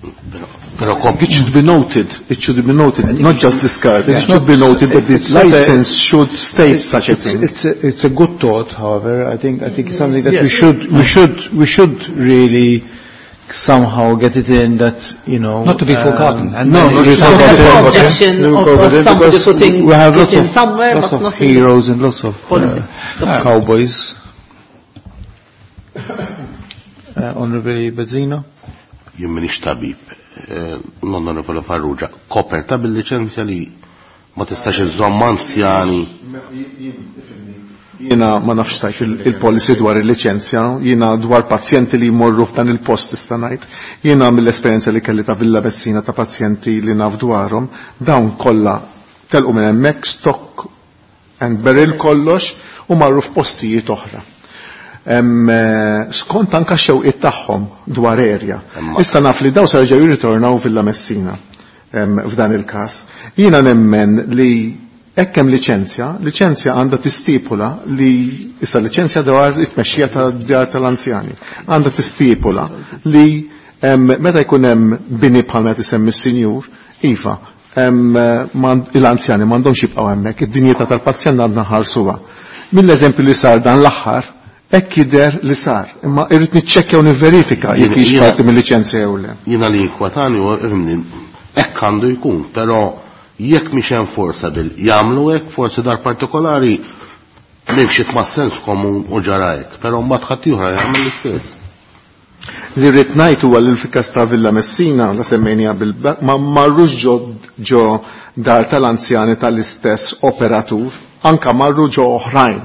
It should be noted, it should be noted, not just discarded, it should be noted that the license should state such a thing. It's a good thought, however. I think it's something that we should really somehow get it in that, you know, not to be forgotten. And no, not to be forgotten. Of somebody putting we have it in somewhere, lots but of not heroes and lots of cowboys. Honorable Bezzina. Jien minix tabib. L-Onorevole Farrugia, koperta bil-liċenzja li ma tistax iżżomm anzjani. Jiena ma nafx tajt il-policy dwar il-liċenzja, jiena dwar pazjenti li jmorru f'dan il-post tista' ngħid. Jiena mill-esperjenza li kelli ta' Villa Messina ta' pazjenti li naf dwarhom, dawn kollha telqu minn hemmhekk stock and barrel kollox u marru f'postijiet oħra. Skont anka xewqiet tagħhom dwar erja. Issa naf li daw se jerġgħu jirritornaw Villa Messina f'dan il-każ. Jiena nemmen li hekk hemm liċenzja, liċenzja għandha tistipula li issa liċenzja dwar it-tmexxija tad-djar tal-anzjani. Għandha tistipula li meta jkun hemm bini bħal meta isemmi s-sinjur, iva, l-anzjani m'għandhomx jibqgħu hemmhekk, id-dinjità tal-pazjent għandna ħarsuha. Mill-eżempju li sar dan l-aħħar, Hekk jidher li sar, imma irrid niċċekkja u nivverifika jekk hix parti mill-liċenzja jew le. Jiena li jinkwetani u ifhimni, hekk għandu jkun, però jekk mhix enforceable jagħmlu hekk forsi dar partikolari nimxiet ma' sens komun u ġara hekk, però mbagħad ħadd ieħor jagħmel l-istess. Li rrid ngħid huwa li fil-każ ta' Villa Messina la semmejniha bil ma marrux ġo ġo dar tal-anzjani tal-istess operatur, anka marru ġo oħrajn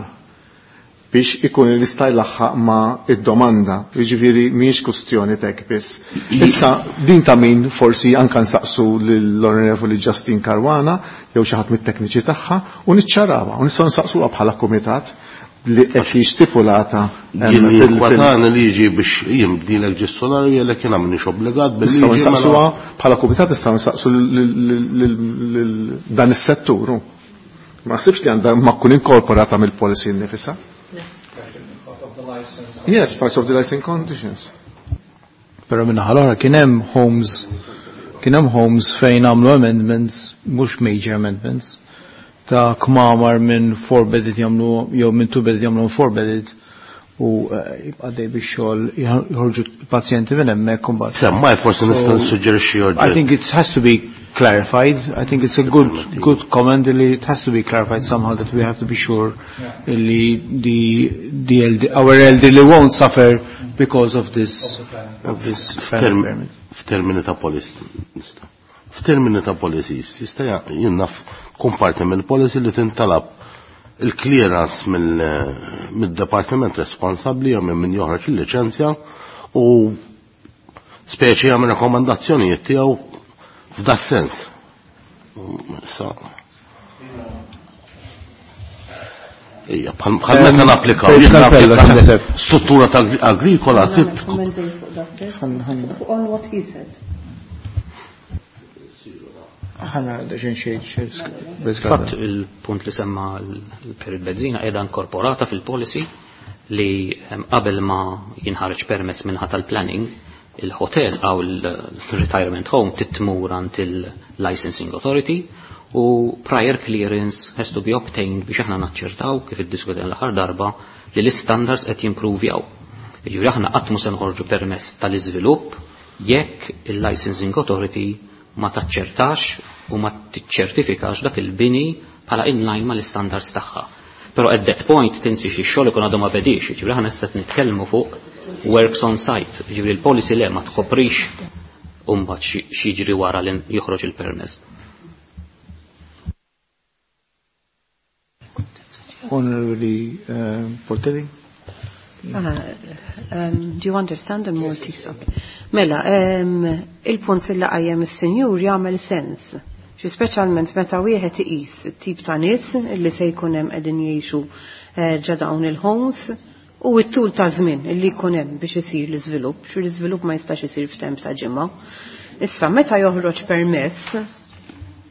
biex ikun jista' jlaħħaq ma' id-domanda. Jiġifieri mhijiex kustjoni tek biss. Issa din ta' min forsi anka nsaqsu lill-Onorevoli Justin Caruana jew xi ħadd mit-tekniċi tagħha u niċċarawha u nistgħu nsaqsuha bħala kumitat li qed hi stipulata Jien jinkwetani li jiġi biex jimbdilek ġis-solari jgħidlek jiena m'iniex obbligat Nistgħu bil-liġi mela nsaqsuha bħala kumitat nistgħu nsaqsu lil dan is-settur. Ma naħsibx li għandha ma tkun inkorporata mill-policy nnifisha. Yes, parts of the licensing conditions. Però minna ħal-oħra kien hemm homes, kien hemm homes fejn għamlu amendments, mhux major amendments, ta' kmamar minn 4 bedded jagħmlu jew minn 2 bedded jagħmlu 4 bedded u jibqa' dej biex xogħol joħorġu pazjenti minn hemmhekk imbagħad. Semmaj forsi nista' nissuġġerixxi I oġġett. think it has to be clarified. I think it's a good comment li it has to be clarified somehow that we have to be sure li our elderly won't suffer because of this, of this planning permit. F'termini ta' policy, nista'. F'termini ta' policies, jista' jien naf tkun parti mill-policy li tintalab il-clearance mid-departiment responsabbli jew minn min joħroġ il-liċenzja u speċi jagħmel rakkomandazzjonijiet tiegħu f'da sens. Issa. Ija, bħal meta napplikaw, Peress jien l-appello, napplika x'naħseb? struttura ta' agrikola Nagħmel tit- komment fuq da stess. Fuq on what he said. Ħana xejn xejn xejn Fatt il-punt li semma l-Perit Bezzina qiegħda inkorporata fil-policy li qabel ma jinħareġ permess minħa tal-planning, il-hotel għaw il-retirement home titmur għand il-licensing authority u prior clearance has to be obtained biex aħna naċċertaw kif iddiskutejna l-aħħar darba li l-standards qed jimprovjaw. Jiġifieri aħna qatt mhu se nħorġu permess tal-iżvilupp jekk il-licensing authority ma taċċertax u ma tiċċertifikax dak il-bini bħala inline mal-standards tagħha. Però at that point tinsi xi xogħol ikun għadu ma bedix, jiġifieri aħna issa qed nitkellmu fuq works on site, jiġifieri l-policy le ma tkoprix u mbagħad xi jiġri wara li joħroġ il-permess. Honorable Portelli. Do you understand the Maltese? Okay. Mela, il-punt li qajjem is-sinjur jagħmel sens. Xi speċjalment meta wieħed iqis it-tip ta' nies li se jkun hemm qegħdin jgħixu ġa dawn il-homes u t-tul ta' żmien li jkun hemm biex isir l-iżvilupp, xi l-iżvilupp ma jistax isir f'temp ta' ġimgħa. Issa meta joħroġ permess,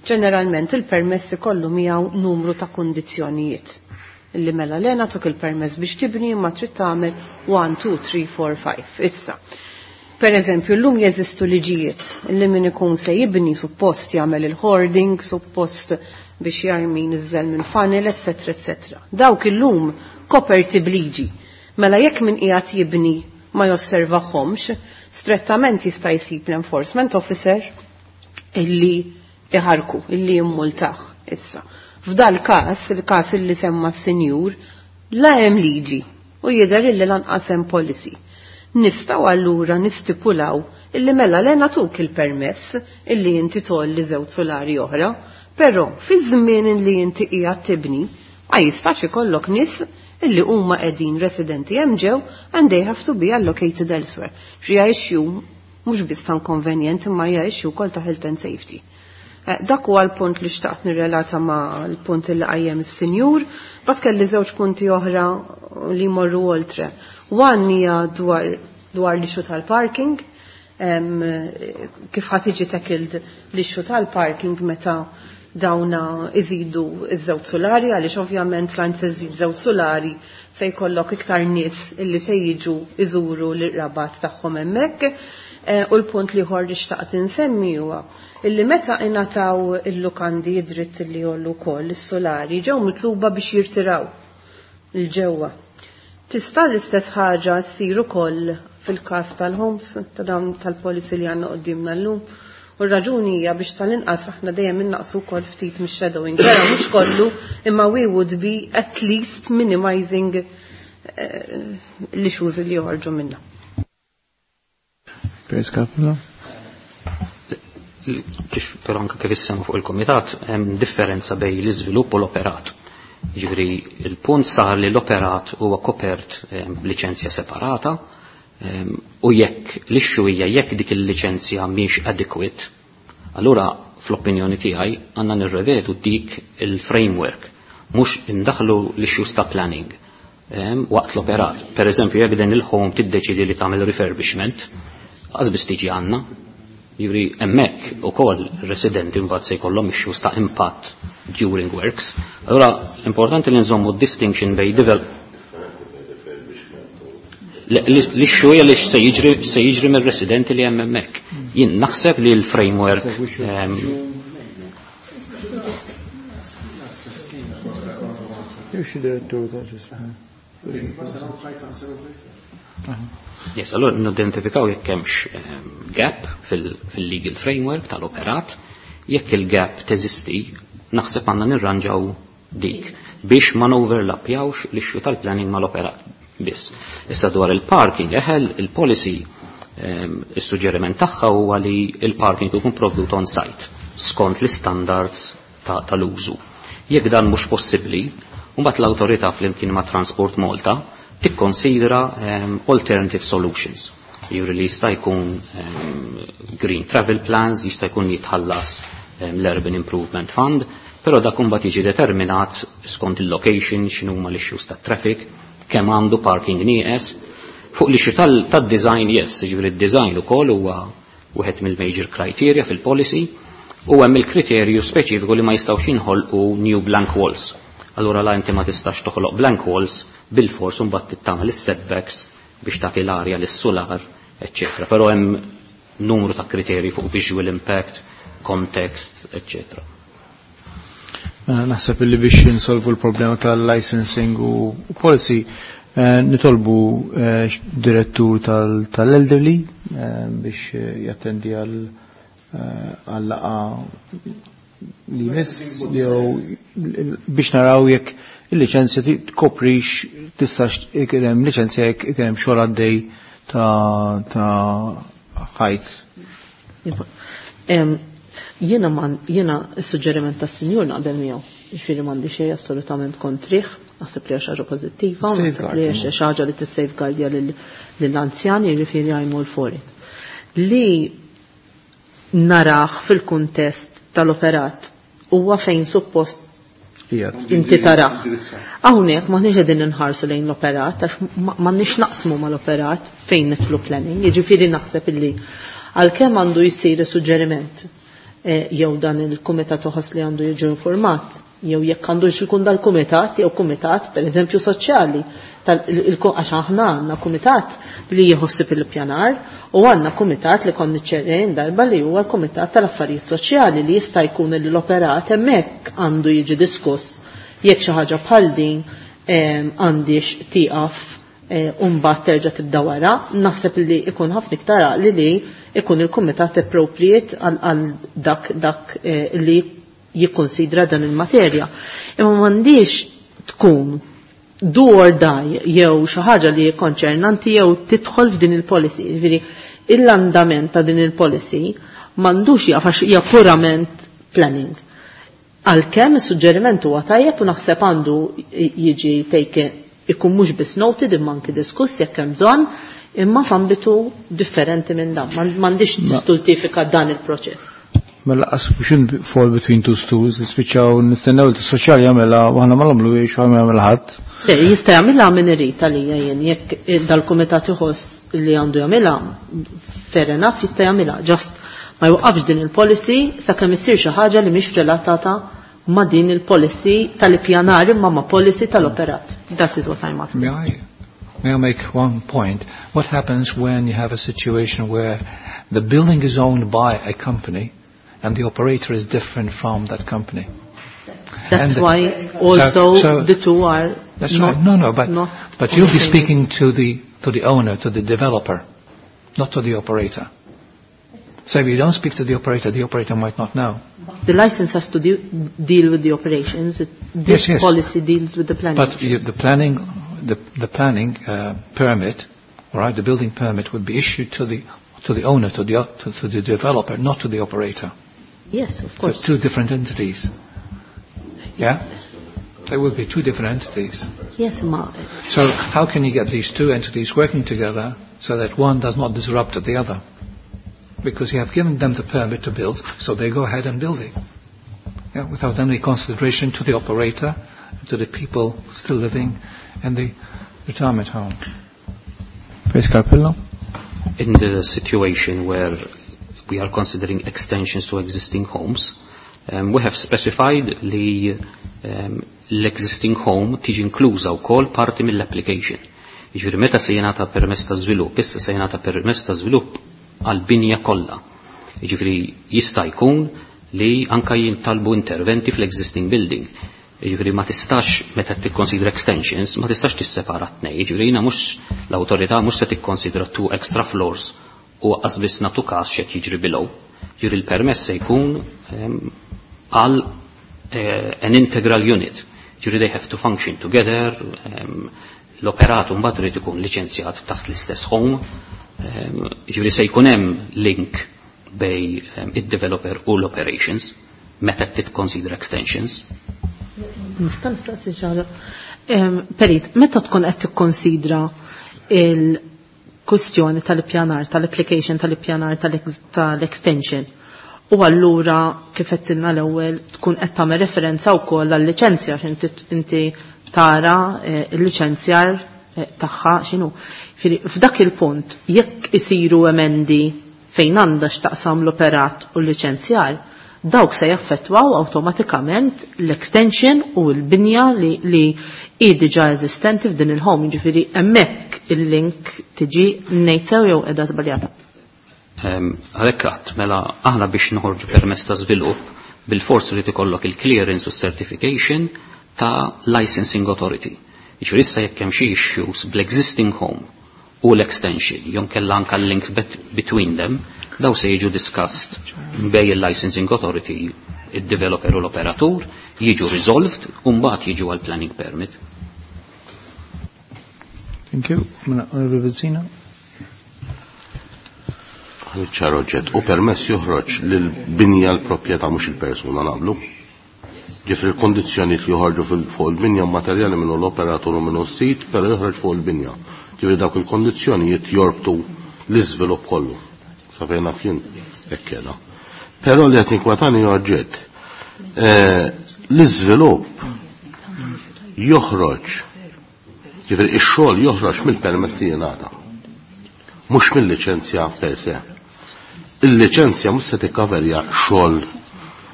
ġeneralment il-permess ikollu miegħu numru ta' kundizzjonijiet. Illi mela lena tuk il-permess biex tibni imma trid tagħmel 1, 2, 3, 4, 5. Issa. Per eżempju, llum jeżistu liġijiet li min ikun se jibni suppost jagħmel il-hoarding, suppost biex jarmi niżel minn funnel, eccetera, eccetera. Dawk illum koperti bliġi. Mela jekk min qiegħed jibni ma josservahomx, strettament jista' jsib l-enforcement officer illi iħarku, illi jimmultaħ issa. F'dal każ, il-każ illi semma s-sinjur, la hemm liġi u jidher illi lanqas hemm policy. Nistgħu allura nistipulaw illi mela le nagħtuk il-permess illi inti tolli żewġ solari oħra, però fi żmien illi inti qiegħed tibni ma jistax ikollok nies illi huma qegħdin residenti hemm ġew and they have to be allocated elsewhere. Xi issue mhux biss ta' inkonvenjent imma hija issue wkoll ta' health and safety. Dak huwa l-punt li xtaqt nirrelata ma' l-punt li qajjem is-sinjur, bad kelli żewġ punti oħra li jmorru oltre. One hija dwar l-issue tal-parking, kif ħa tiġi tackled l-issue tal-parking meta dawna iżidu iż-żewġ solari, għaliex ovvjament l se żid żewġ solari se jkollok iktar nies illi se jiġu iżuru l-rabat tagħhom hemmhekk. U l-punt li ieħor li xtaqt insemmi huwa illi meta ingħataw il-lukandi id-dritt li jollu wkoll is-solari ġew mitluba biex jirtiraw il-ġewwa. Tista' l-istess ħaġa ssir ukoll fil-każ tal-homes ta' dawn tal-policy li għandna quddiemna llum. U r-raġuni hija biex tal-inqas aħna dejjem innaqsu wkoll ftit mix-shadowing. Vera mhux kollu, imma we would be at least minimizing l-issues li joħorġu minna. Piers Capella? Kif però anke kif issemma fuq il-komitat, hemm differenza bejn l-iżvilupp u l-operat. Ġifieri il-punt sar li l-operat huwa kopert b'liċenzja separata u jekk l-issue hija jekk dik il-liċenzja mhix adequate, allura fl-opinjoni tiegħi għandna nirrevedu dik il-framework, mhux indaħlu l-issues ta' planning waqt l-operat. Per eżempju, jekk din il-home tiddeċidi li tagħmel refurbishment, għax biss tiġi għandna. Jiġifieri hemmhekk ukoll residenti mbagħad se jkollhom issues ta' impatt during works. Allura importanti li nżommu distinction bejn develop l-issue hija li se jiġri mir-residenti li hemm hemmhekk. Jien naħseb li l-framework Jew direttur ta' Yes, allora nidentifikaw jekk hemmx gap fil-legal framework tal-operat, jekk il-gap teżisti, naħseb għandna nirranġaw dik biex ma overlapjawx l-issue tal-planning mal-operat biss. Issa dwar il-parking, eħel il-policy is-suġġeriment tagħha huwa li il-parking ikun provdut on site skont l-standards tal-użu. Jekk dan mhux possibbli, mbagħad l-awtorità flimkien ma' Transport Malta tikkonsidra alternative solutions. Jiġri li jista' jkun green travel plans, jista' jkun jitħallas l-Urban Improvement Fund, però dak imbagħad jiġi determinat skont il-location, x'inhuma l-issues tat-traffic, kemm għandu parking nieqes. Fuq l-issue tad-design, yes, jiġifieri d-design ukoll huwa wieħed mill-major criteria fil-policy, u hemm il-kriterju speċifiku li ma jistgħux jinħolqu new blank walls. Allura la inti ma tistax toħloq blank walls bil-fors u mbagħad tagħmel is-setbacks biex tagħti l-arja lis-solar, eċċetera. Però hemm numru ta' kriterji fuq visual impact, context, eċċetera. Naħseb illi biex insolvu l-problema tal-licensing u policy, nitolbu direttur tal-elderly biex jattendi għal laqgħa li jmiss jew biex naraw jekk il-liċenzja tkoprix tistax ikun hemm liċenzja jekk ikun hemm xogħol għaddej ta' ħajt. Jiena man, jiena s-suġġeriment tas-sinjur naqbel miegħu. Ġifieri m'għandi xejn assolutament kontrih, naħseb li hija xi ħaġa pożittiva, naħseb li hija xi ħaġa li tissafeguardja lill-anzjani, jiġifieri I'm all for it. Li naraħ fil-kuntest tal-operat huwa fejn suppost inti taraħ. Hawnhekk m'aħniex qegħdin inħarsu lejn l-operat għax m'għandniex naqsmu mal-operat fejn nidħlu planning, jiġifieri naħseb illi għalkemm għandu jsir suġġeriment jew dan il-kumitat uħoss li għandu jiġu informat, jew jekk għandu ikun dal-kumitat jew kumitat pereżempju soċjali, għax aħna għandna kumitat li jħossib il-pjanar u għandna kumitat li konni ċerrejn darba li huwa l-kumitat tal-affarijiet soċjali li jista' jkun li l-operat hemmhekk għandu jiġi diskuss jekk xi ħaġa bħal din għandix tieqaf u mbagħad terġa' tibda wara, naħseb li ikun ħafna iktar għaqli li ikun il-kumitat appropriate għal dak li jikkonsidra dan il-materja. Imma m'għandix tkun do or die jew xi ħaġa li konċernanti jew tidħol f'din il-policy. Ġifieri l-andament ta' din il-policy m'għandux jaf għax hija purament planning. Għalkemm is-suġġeriment huwa tajjeb u naħseb għandu jiġi take ikun mhux biss noted imma anki diskuss jekk hemm bżonn, imma f'ambitu differenti minn dan. M'għandix tistultifika dan il-proċess. Mela qas we fall between two stools, nispiċċaw nistennew li s-soċjali jagħmilha u aħna ma nagħmluhiex u aħna jagħmilha ħadd. Le, jista' jagħmilha min irid għalija jien, jekk dal-kumitat iħoss li għandu jagħmilha, fair enough jista' jagħmilha, just ma jwaqqafx din il-policy sakemm issir xi ħaġa li mhix relatata ma' din il-policy tal-ippjanar imma ma' policy tal-operat. That is what I'm asking. May I make one point? What happens when you have a situation where the building is owned by a company and the operator is different from that company? That's And why also the two are That's not right. No, no, but, not but on you'll the be same- speaking to the, to the owner, to the developer, not to the operator. So if you don't speak to the operator might not know. The license has to deal with the operations. This Yes, yes. policy deals with the planning. But you, the planning, the planning permit, all right, the building permit would be issued to the owner, to the developer, not to the operator. Yes, of So course. two different entities. Yeah? There will be two different entities. Yes, ma. So how can you get these two entities working together so that one does not disrupt the other? Because you have given them the permit to build, so they go ahead and build it. Yeah, without any consideration to the operator, to the people still living in the retirement home. Chris Carpello. In the situation where we are considering extensions to existing homes, we have specified li l-existing home tiġi inkluża wkoll parti mill-application. Jiġifieri meta se jingħata permess ta' żvilupp, issa se jingħata permess ta' żvilupp għall-binja kollha. Jiġifieri jista' jkun li anka jintalbu interventi fl-existing building. Jiġifieri ma tistax meta tikkonsidra extensions, ma tistax tissepara t-tnejn. Jiġifieri jiena mhux l-awtorità mhux se tikkonsidra two extra floors u qas biss nagħtu każ x'qed jiġri below. Jiġifieri l-permess se jkun għal an integral unit. Jiġifieri they have to function together, l-operatu mbagħad irid ikun liċenzjat taħt l-istess home. Jiġifieri se jkun hemm link bej id-developer u l-operations meta titkonsidra extensions. Nista' nistaqsi xi ħaġa. Perit, meta tkun qed tikkonsidra il-kwistjoni tal-ippjanar, tal-application tal-ippjanar tal-extension, u allura kif qed l-ewwel tkun qed tagħmel referenza wkoll għal-liċenzja għax inti tara l-liċenzjar tagħha x'inhu. F'dak il-punt jekk isiru emendi fejn għandha x'taqsam l-operat u l-liċenzjar, dawk se jaffettwaw awtomatikament l-extension u l-binja li hi diġà eżistenti f'din il-home, jiġifieri hemmhekk il-link tiġi ngħid sew jew qiegħda żbaljata. Għalhekk qatt mela aħna biex noħorġu permess ta' żvilupp bil-fors irid ikollok il-clearance u certification ta' licensing authority. Jiġifieri issa jekk hemm xi issues bl-existing home u l-extension, jew kellha anke l-link between them, daw se jiġu discussed bej il-licensing authority, il-developer u l-operatur, jiġu resolved u mbagħad jiġu għal planning permit. Thank you. Mela, Onorevole Bezzina. Ċar oġġett, u permess joħroġ lil-binja l-proprjetà mhux il-persuna naqblu. Ġifri l-kondizzjonijiet li joħorġu fuq il-binja materjali minnu l-operatur u minnu s-sit, però joħroġ fuq il-binja. Ġifri dawk il-kondizzjonijiet jorbtu l-iżvilupp kollu. Sa fejn naf jien hekk qiegħda. Però li qed inkwetani oġġett, l-iżvilupp joħroġ, ġifri ix-xogħol joħroġ mill-permess li jingħata, mhux mill-liċenzja per se. Il-liċenzja mhux se tikkaverja xogħol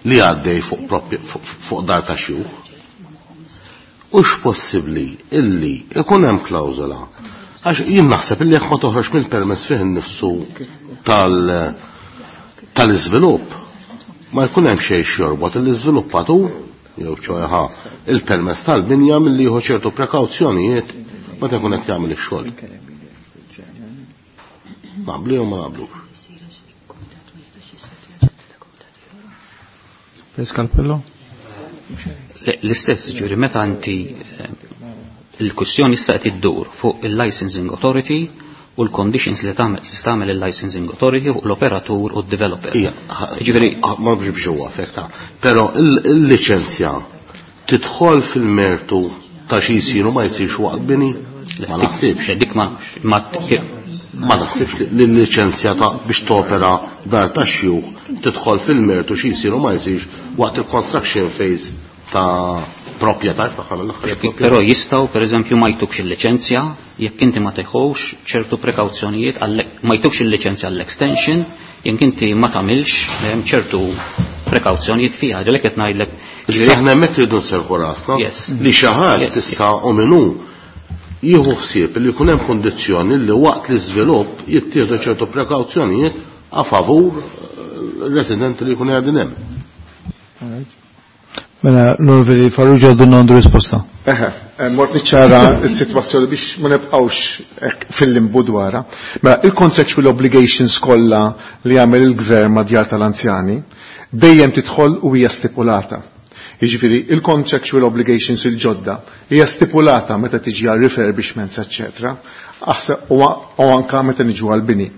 li għaddej fuq dar ta' xjuħ. Hux possibbli illi ikun hemm klawżola. Għax jien naħseb illi jekk ma toħroġ mill-permess fih innifsu tal-iżvilupp, ma jkun hemm xejn xjorbot l-iżviluppatur jew ċoħa il-permess tal-binja milli jieħu ċertu prekawzjonijiet meta jkun qed jagħmel ix-xogħol. Naqblu jew ma naqblux. Calpello? L-istess, ġuri, meta inti il-kwistjoni issa qed iddur fuq il-licensing authority u l-conditions li tagħmel il-licensing authority fuq l-operatur u d-developer. Ija, Ġifieri ma biex biex huwa affekta, però il-liċenzja tidħol fil-mertu ta' xi jsir u ma jsirx waqt bini? Ma naħsibx. Le, dik ma Ma naħsibx li l-liċenzja ta' biex topera dar ta' xjuħ tidħol fil-mertu xi jsir u ma jsirx waqt il-construction phase ta' proprjetà tagħha mill-aħħar proprjetà. Però jistgħu pereżempju ma jtukx il-liċenzja jekk inti ma teħux ċertu prekawzjonijiet ma jtukx il-liċenzja għall-extension jekk inti ma tagħmilx ċertu prekawzjonijiet fiha. Għalhekk qed ngħidlek. Issa aħna hemmhekk rridu nserħu rasna Yes. li xi ħadd Yes. tista' u minnu jieħu ħsieb li jkun hemm kondizzjoni li waqt l-iżvilupp jittieħdu ċertu prekawzjonijiet a favur residenti li jkunu qegħdin hemm. All right. Mela, l-Onorevoli Farrugia dun għandu risposta. Eħe, mort niċċara s-sitwazzjoni biex ma nibqgħux fil-limbu dwarha. Mela, il-contractual obligations kollha li jagħmel il-gvern ma' djar tal-anzjani dejjem tidħol u hija stipulata. Jiġifieri il-contractual obligations il-ġodda hija stipulata meta tiġi għal refurbishments, eċċetera, u anka meta niġu għal bini.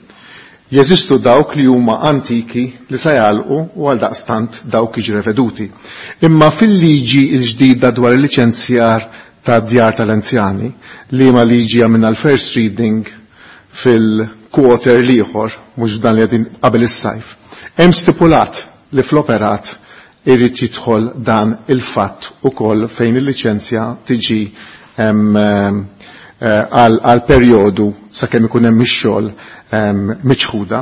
Jeżistu dawk li huma antiki li se jagħlqu u għal daqstant dawk jiġu reveduti. Imma fil-liġi l-ġdida dwar il-liċenzjar ta' djar tal-anzjani, li ma liġi għamilna l-first reading fil-quarter l-ieħor, mhux dan li qegħdin qabel is-sajf. Hemm stipulat li fl-operat irid jidħol dan il-fatt ukoll fejn il-liċenzja tiġi għal perjodu sakemm ikun hemm ix-xogħol miċħuda.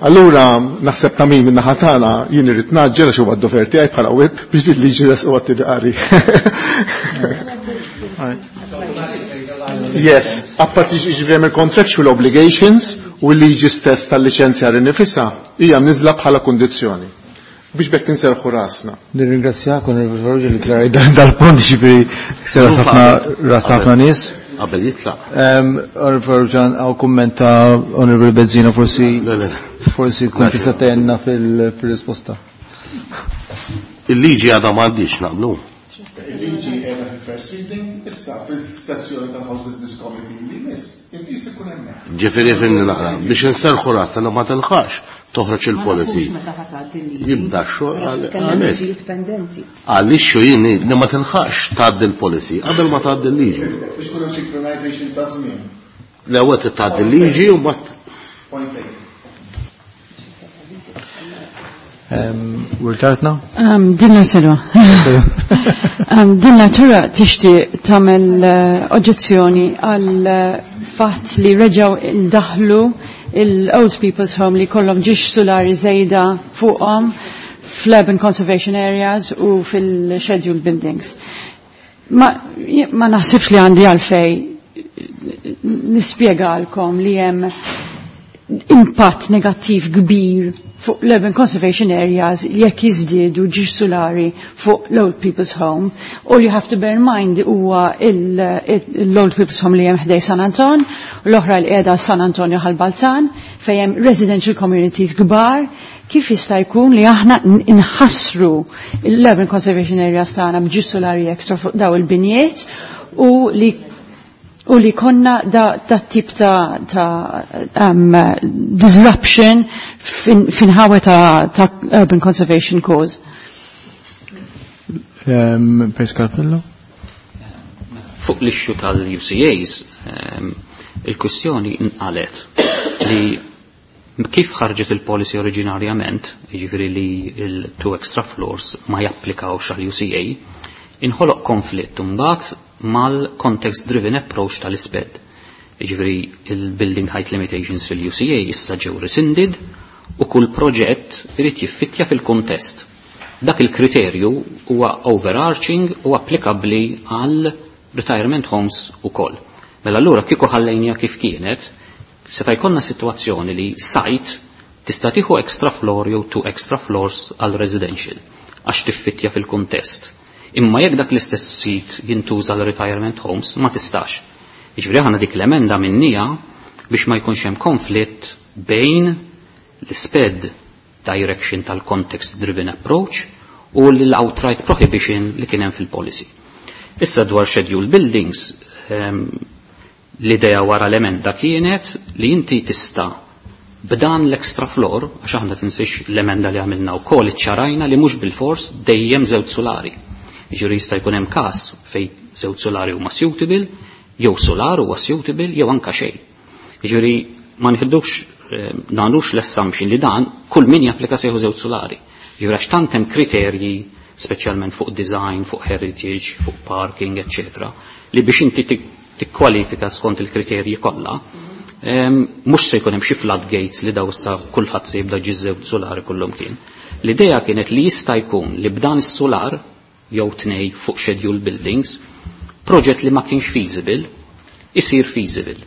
Allura naħseb ta' min min-naħa tagħna jien irid naġġel għax huwa d-dover tiegħi bħala whip biex din liġi resqu għat-tieni qari. Yes, apparti jiġifieri hemm il-contractual obligations u l-liġi stess tal-liċenzja nnifisha hija mniżla bħala kundizzjoni biex bekk inserħu rasna. Nirringrazzjak Onorevoli Farrugia li klaraj dal-punt ġifieri ksera ħafna ras ħafna nies. Qabel jitlaq. Onorevoli Farrugia hawn kumment ta' Onorevoli Bezzina forsi forsi tkun tista' tgħinna fil-risposta. Il-liġi għadha m'għandix naqblu. Il-liġi qiegħda fil-first reading, issa fil-sessjoni tal-House Business Committee li miss, il-qis ikun hemmhekk. Ġifieri fimni naqra, biex inserħu rasna li ma tilħax toħroġ il-policy. Jibda x-xogħol għalhekk. Għaliex jien li ma tilħax tgħaddi l-policy qabel ma tgħaddi l-liġi. Biex tkun hemm synchronization ta' żmien. L-ewwel tgħaddi l-liġi u mbagħad. Point taken. Wirtartna? Din natura. Din natura tixtieq tagħmel oġġezzjoni għal fatt li reġgħu indaħlu il-Old People's Home li kollhom ġiex solari żejda fuqhom fl-urban conservation areas u fil-scheduled buildings. Ma, ma naħsibx li għandi għalfej nispjegalkom li hemm impatt negattiv kbir fuq l-urban conservation areas jekk jiżdiedu ġiex solari fuq l-old people's home. All you have to bear in mind huwa l-old people's home li hemm ħdej San Anton, l-oħra li qiegħda San Antonio ħal-Balzan, fejn hemm residential communities kbar, kif jista' jkun li aħna nħassru l-urban conservation areas tagħna b'ġiex solari extra fuq daw il-binjiet u li konna da, da tip ta' disruption finħawe ta' urban conservation cause. Pres Carpello? Fuq l-issue tal-UCAs, il-kwistjoni nqalet li kif ħarġet il-policy oriġinarjament, jiġifieri li il-two extra floors ma japplikawx għal UCA, inħoloq konflitt mbagħad mal-context driven approach tal-ISPED. Jiġifieri il-building height limitations fil-UCA issa ġew rescinded u kull proġett irid jiffittja fil-kontest. Dak il-kriterju huwa overarching u applikabbli għal retirement homes ukoll. Mela allura kieku ħallejnija kif kienet, seta' jkollna sitwazzjoni li site tista' tieħu extra floor jew two extra floors għal residential għax tiffittja fil-kuntest. Imma jekk dak l-istess sit jintuża l retirement homes ma tistax. Jiġifieri aħna dik l-emenda minnija biex ma jkunx hemm konflitt bejn l-ISPED direction tal-context driven approach u l-outright prohibition li kien hemm fil-policy. Issa dwar schedule buildings, l-idea wara l-emenda kienet li inti tista' b'dan l-extra floor, għax aħna tinsiex l-emenda li għamilna wkoll iċċarajna li mhux bil-fors dejjem żewġ solari. Jiġifieri jista' jkun hemm każ fejn żewġ solari huma suitable, jew solar huwa suitable, jew anka xejn. Jiġifieri ma nħiddux nagħmlux l-assumption li dan kull min japplika sejħu żewġ solari. Jiġifieri għax tant hemm kriterji speċjalment fuq design, fuq heritage, fuq parking, eccetera, li biex inti tikkwalifika skont il-kriterji kollha, mhux se jkun hemm xi floodgates li daw issa kulħadd se jibda ġiżew solari kullum kien. L-idea kienet li jista' jkun li b'dan is-solar jew tnej fuq scheduled buildings, proġett li ma kienx feasible, isir feasible.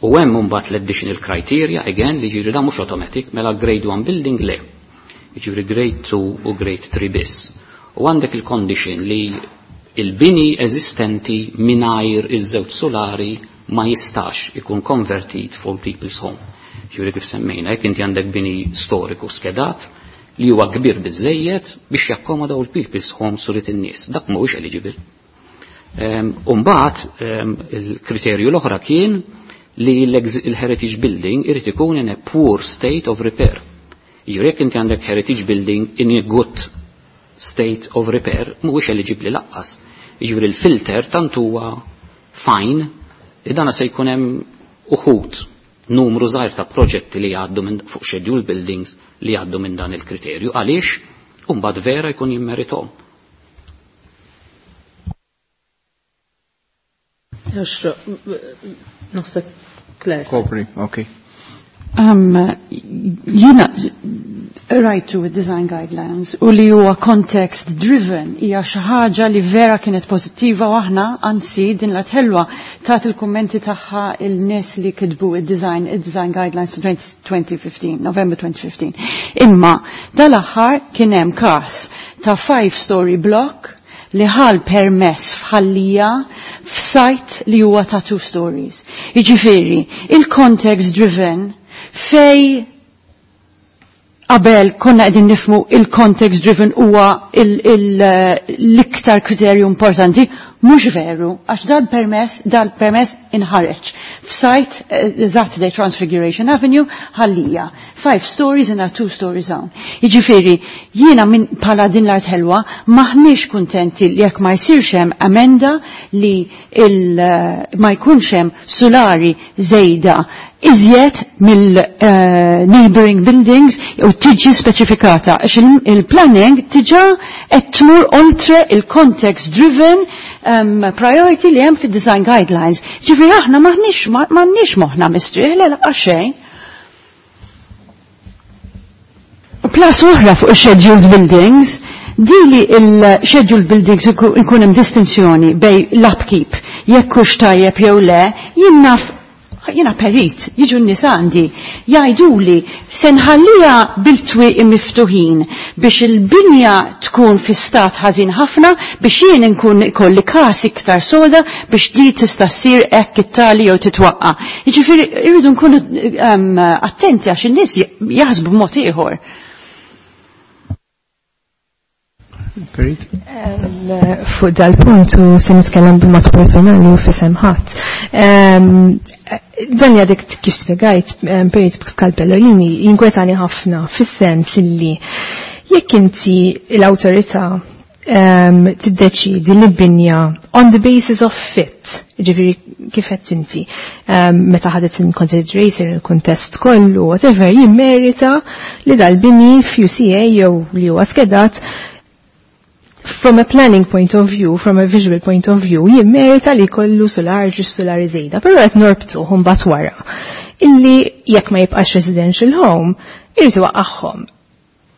U hemm imbagħad l-additional criteria, again, li ġieri da mhux automatic, mela grade 1 building le. Jiġifieri grade 2 u grade 3 biss. U għandek il-condition li il-bini eżistenti mingħajr iż-żewġ solari ma jistax ikun konvertit for people's home. Ġifieri kif semmejna, jekk inti għandek bini storiku skedat li huwa kbir biżejjed biex jakkomoda l people's home surit in-nies. Dak mhuwiex eligible. Umbagħad il-kriterju l-oħra kien li l-heritage building irid ikun in a poor state of repair. Jiġifieri jekk inti għandek heritage building in a good state of repair mhuwiex eligibbli laqqas. Jiġifieri l-filter tant huwa fine li dana se jkun hemm uħud numru żgħir ta' proġetti li jgħaddu minn fuq schedule buildings li jgħaddu minn dan il-kriterju għaliex imbagħad vera jkun jimmerithom. Naħseb Claire. Kopri, ok. Jiena rajtu design guidelines u li huwa context driven hija xi ħaġa li vera kienet pożittiva u aħna anzi din la tħelwa tat il-kummenti tagħha il-nies li kitbu id-design id-design guidelines 2015, November 2015. Imma dal-aħħar kien hemm każ ta' five story block li ħal permess f'ħallija f'site li huwa ta' two stories. Jiġifieri, il-context driven fej qabel konna qegħdin nifmu il-context driven huwa l-iktar kriterju importanti, mhux veru, għax dal-permess dal-permess inħareġ. F'site eżatt uh, Transfiguration Avenue ħallija. Five stories in a two story zone. Jiġifieri, jiena minn bħala din l-art ħelwa maħniex kuntenti li jekk ma jsirx hemm amenda li il, ma jkunx hemm sulari żejda iżjed mill-neighboring buildings u tiġi speċifikata għax il-planning tiġa qed tmur oltre il-context driven priority li hemm fid-design guidelines. Ġifieri aħna m'aħniex m'għandniex moħħna mistrieħ le laqgħa xejn. Plus oħra fuq scheduled buildings, dili il-scheduled buildings ikun hemm distinzjoni bej l-upkeep, jekk hux tajjeb jew le, jien naf jiena perit, jiġu n-nies għandi, jgħiduli se nħallija bil-twieqi miftuħin biex il-binja tkun fi stat ħażin ħafna biex jien nkun ikolli każ iktar soda biex di tista' ssir hekk it-tali jew titwaqqa. Jiġifieri irridu nkunu attenti għax in-nies jaħsbu b'mod ieħor. Perit? Fuq dal-punt u se nitkellem bil-mod personali u fisem ħadd. Dan dik kif spjegajt Perit Pascal Pellolini jinkwetani ħafna fis-sens illi jekk inti l-awtorità tiddeċidi li binja on the basis of fit, ġifieri kif qed inti, meta ħadet in consideration il-kuntest kollu, whatever, jimmerita li dal-bini f'UCA jew li huwa skedat from a planning point of view, from a visual point of view, jimmerita li kollu solar ġu solar żejda, però qed norbtu mbagħad wara. Illi jekk ma jibqax residential home, irid iwaqqagħhom.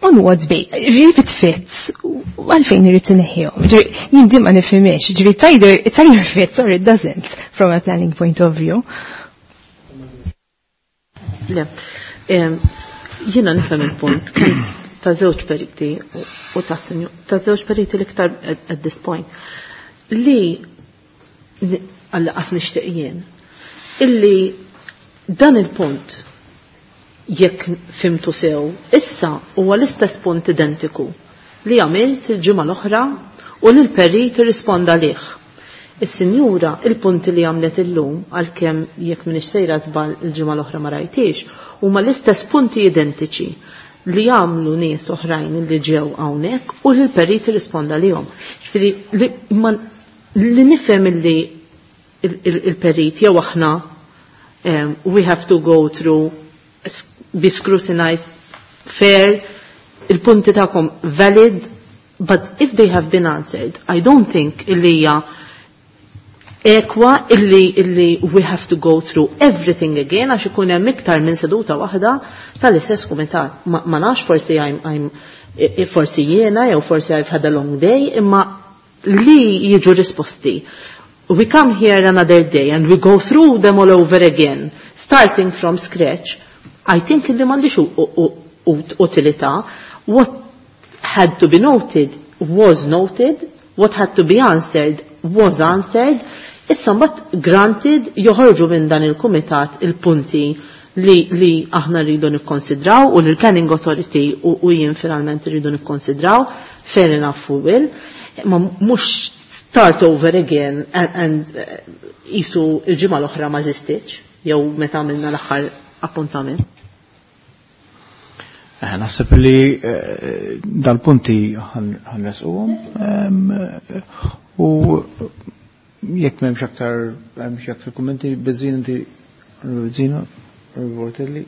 On what base? Ġifieri if it fits, għalfejn irid inneħħihom. Ġifieri jien din ma nifhimx, ġifieri it's either, it's either fits or it doesn't from a planning point of view. Le, jiena nifhem il-punt ta' żewġ periti u ta' ta' żewġ periti l-iktar at this point li għal-qas nixtieq jien illi dan il-punt jekk fimtu sew issa huwa l-istess punt identiku li għamilt il-ġimgħa l-oħra u li l-perit irrisponda lih. Is-sinjura il-punti li għamlet illum għalkemm jekk m'iniex sejra żball il-ġimgħa l-oħra ma rajtix huma l-istess punti identiċi li għamlu nies oħrajn li ġew hawnhekk u li l-perit irrisponda lihom. Ġifieri li, li nifhem illi il-perit jew aħna we have to go through be scrutinized fair il-punti tagħkom valid but if they have been answered I don't think illi hija ekwa illi we have to go through everything again għax ikun hemm iktar minn seduta waħda tal-istess kumitat. Ma, ma nafx forsi I'm forsi jiena jew forsi I've had a long day imma li jiġu risposti. We come here another day and we go through them all over again, starting from scratch. I think illi m'għandix utilità. What had to be noted was noted, what had to be answered was answered, issa mbagħad granted joħorġu minn dan il-kumitat il-punti li, li aħna rridu nikkonsidraw u li l-Planning Authority u, u jien finalment rridu nikkonsidraw, fair enough we will, ma mhux start over again and, and jisu il-ġimgħa l-oħra ma żistitx jew meta għamilna l-aħħar appuntament. Eh, naħseb li eh, dal-punti ħanresquhom u jekk m'hemmx aktar hemmx aktar kummenti biżin inti Bizzina, Bortelli.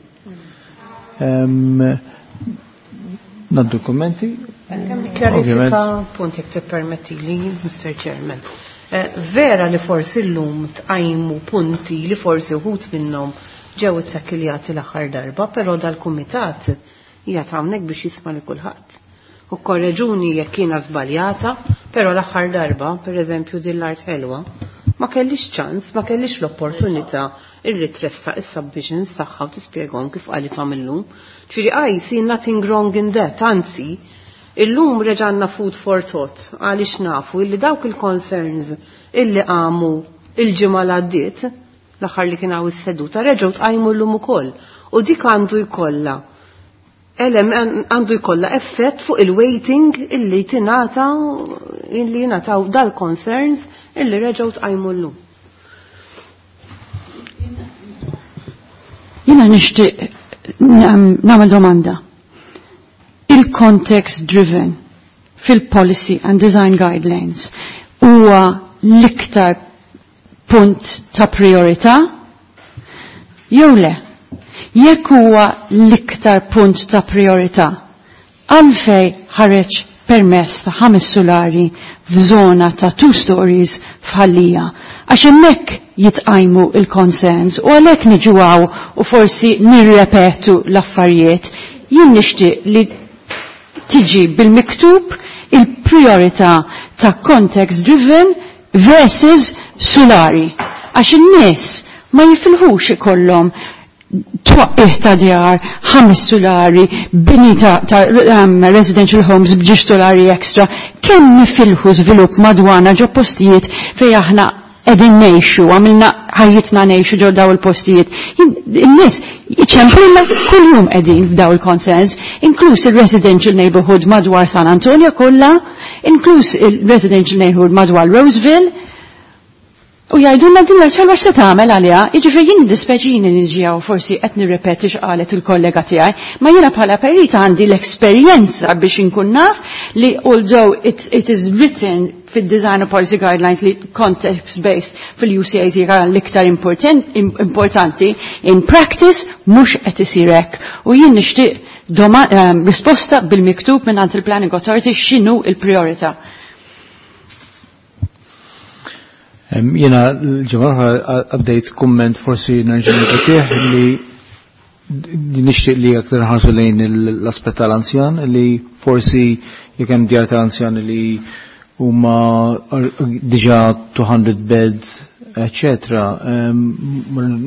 Naddu kummenti. Kemm kjarifika punt jekk tippermettili, Mr. Chairman. Eh, vera li forsi llum tqajmu punti li forsi wħud minnhom ġew ittakkiljati l-aħħar darba, però dal-kumitat qiegħed hawnhekk biex jisma' li kulħadd. U korreġuni jekk jiena żbaljata, però l-aħħar darba, pereżempju din l-art ħelwa, ma kellix ċans, ma kellix l-opportunità illi tressaq is-submissions tagħha u tispjegahom kif qalithom illum. Ġifieri I see nothing wrong in that, anzi, illum reġanna food for thought għaliex nafu illi dawk il-concerns illi qamu il-ġimgħa l għaddiet l-aħħar li kien hawn is-seduta reġgħu tqajmu llum ukoll. U dik għandu jkollha għandu jkollha effett fuq il-weighting illi tingħata illi jingħataw dal-concerns illi reġgħu tqajmu llum. Jiena nixtieq nagħmel domanda. Il-context driven fil-policy and design guidelines huwa l-iktar punt ta' priorità jew le? Jekk huwa l-iktar punt ta' priorità, għalfej ħareġ permess ta' ħames solari f'żona ta' two stories f'Ħal Lija. Għax hemmhekk jitqajmu il-concerns u għalhekk niġu hawn u forsi nirrepetu l-affarijiet. Jien nixtieq li tiġi bil-miktub il-priorità ta' context driven versus solari. Għax in-nies ma jifilħux ikollhom twaqqih ta' djar, ħames solari, bini ta', ta residential homes b'ġiex solari extra, kemm nifilħu żvilupp madwana ġo postijiet fej aħna qegħdin ngħixu, għamilna ħajjitna ngħixu ġo daw il-postijiet. In-nies iċemplilna kuljum qegħdin f'daw il-concerns, inkluż il-residential neighborhood madwar San Antonio kollha, inkluż il-residential neighborhood madwar Roseville, U jgħidulna din l-art se tagħmel għaliha, jiġifieri jien dispeċini niġi hawn forsi qed nirrepeti x'qalet il-kollega tiegħi, ma jiena bħala perita għandi l-esperjenza biex inkun naf li although it, it is written fid-design policy guidelines li context based fil-UCAs hija l-iktar importanti, in practice mhux qed isir hekk. U jien nixtieq risposta bil-miktub minn il-Planning Authority x'inhu il-priorità. Jena l-ġimgħa l-oħra għaddejt kumment forsi nerġa' nirrepetih li nixtieq li aktar nħarsu lejn l-aspett tal-anzjan li forsi jekk hemm djar tal-anzjan li huma diġà 200 bed eccetera,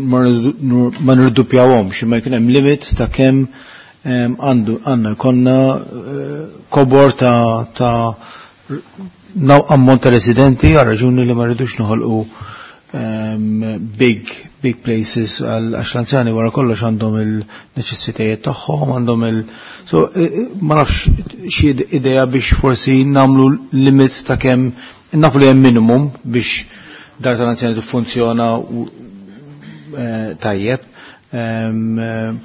ma nirduppjawhomx imma jkun hemm limit ta' kemm għandu għandna jkollna kobor ta' ta' ammont ta' residenti għal raġuni li ma rridux noħolqu big big places għal għax l-anzjani wara kollox għandhom il-neċessitajiet tagħhom, għandhom il so ma nafx xi idea biex forsi nagħmlu limit ta' kemm nafu li hemm minimum biex dar tal-anzjani tiffunzjona tajjeb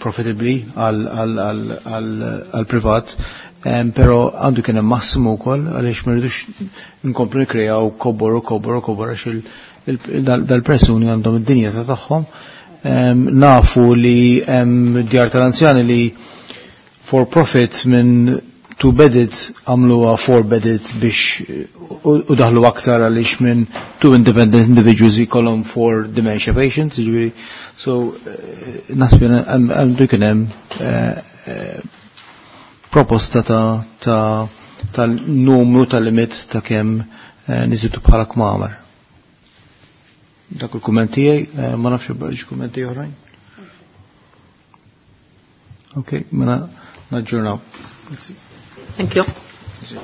profitably għal privat. Pero għandu kien hemm massimu wkoll għaliex ma rridux nkomplu nikkrejaw kobor u kobor u kobor għax dal-persuni għandhom id-dinjità tagħhom. Nafu li hemm djar tal-anzjani li for profit minn two bedded għamluha four bedded biex u daħlu aktar għaliex minn two independent individuals jkollhom four dementia patients, jiġifieri. So naħseb għandu jkun hemm proposta ta' ta' tal-numru tal-limit ta' kemm niżidu bħala kmamar. Dak il-kumment tiegħi, ma nafx xi kummenti oħrajn. Ok, mela naġġornaw. Thank you. Grazie.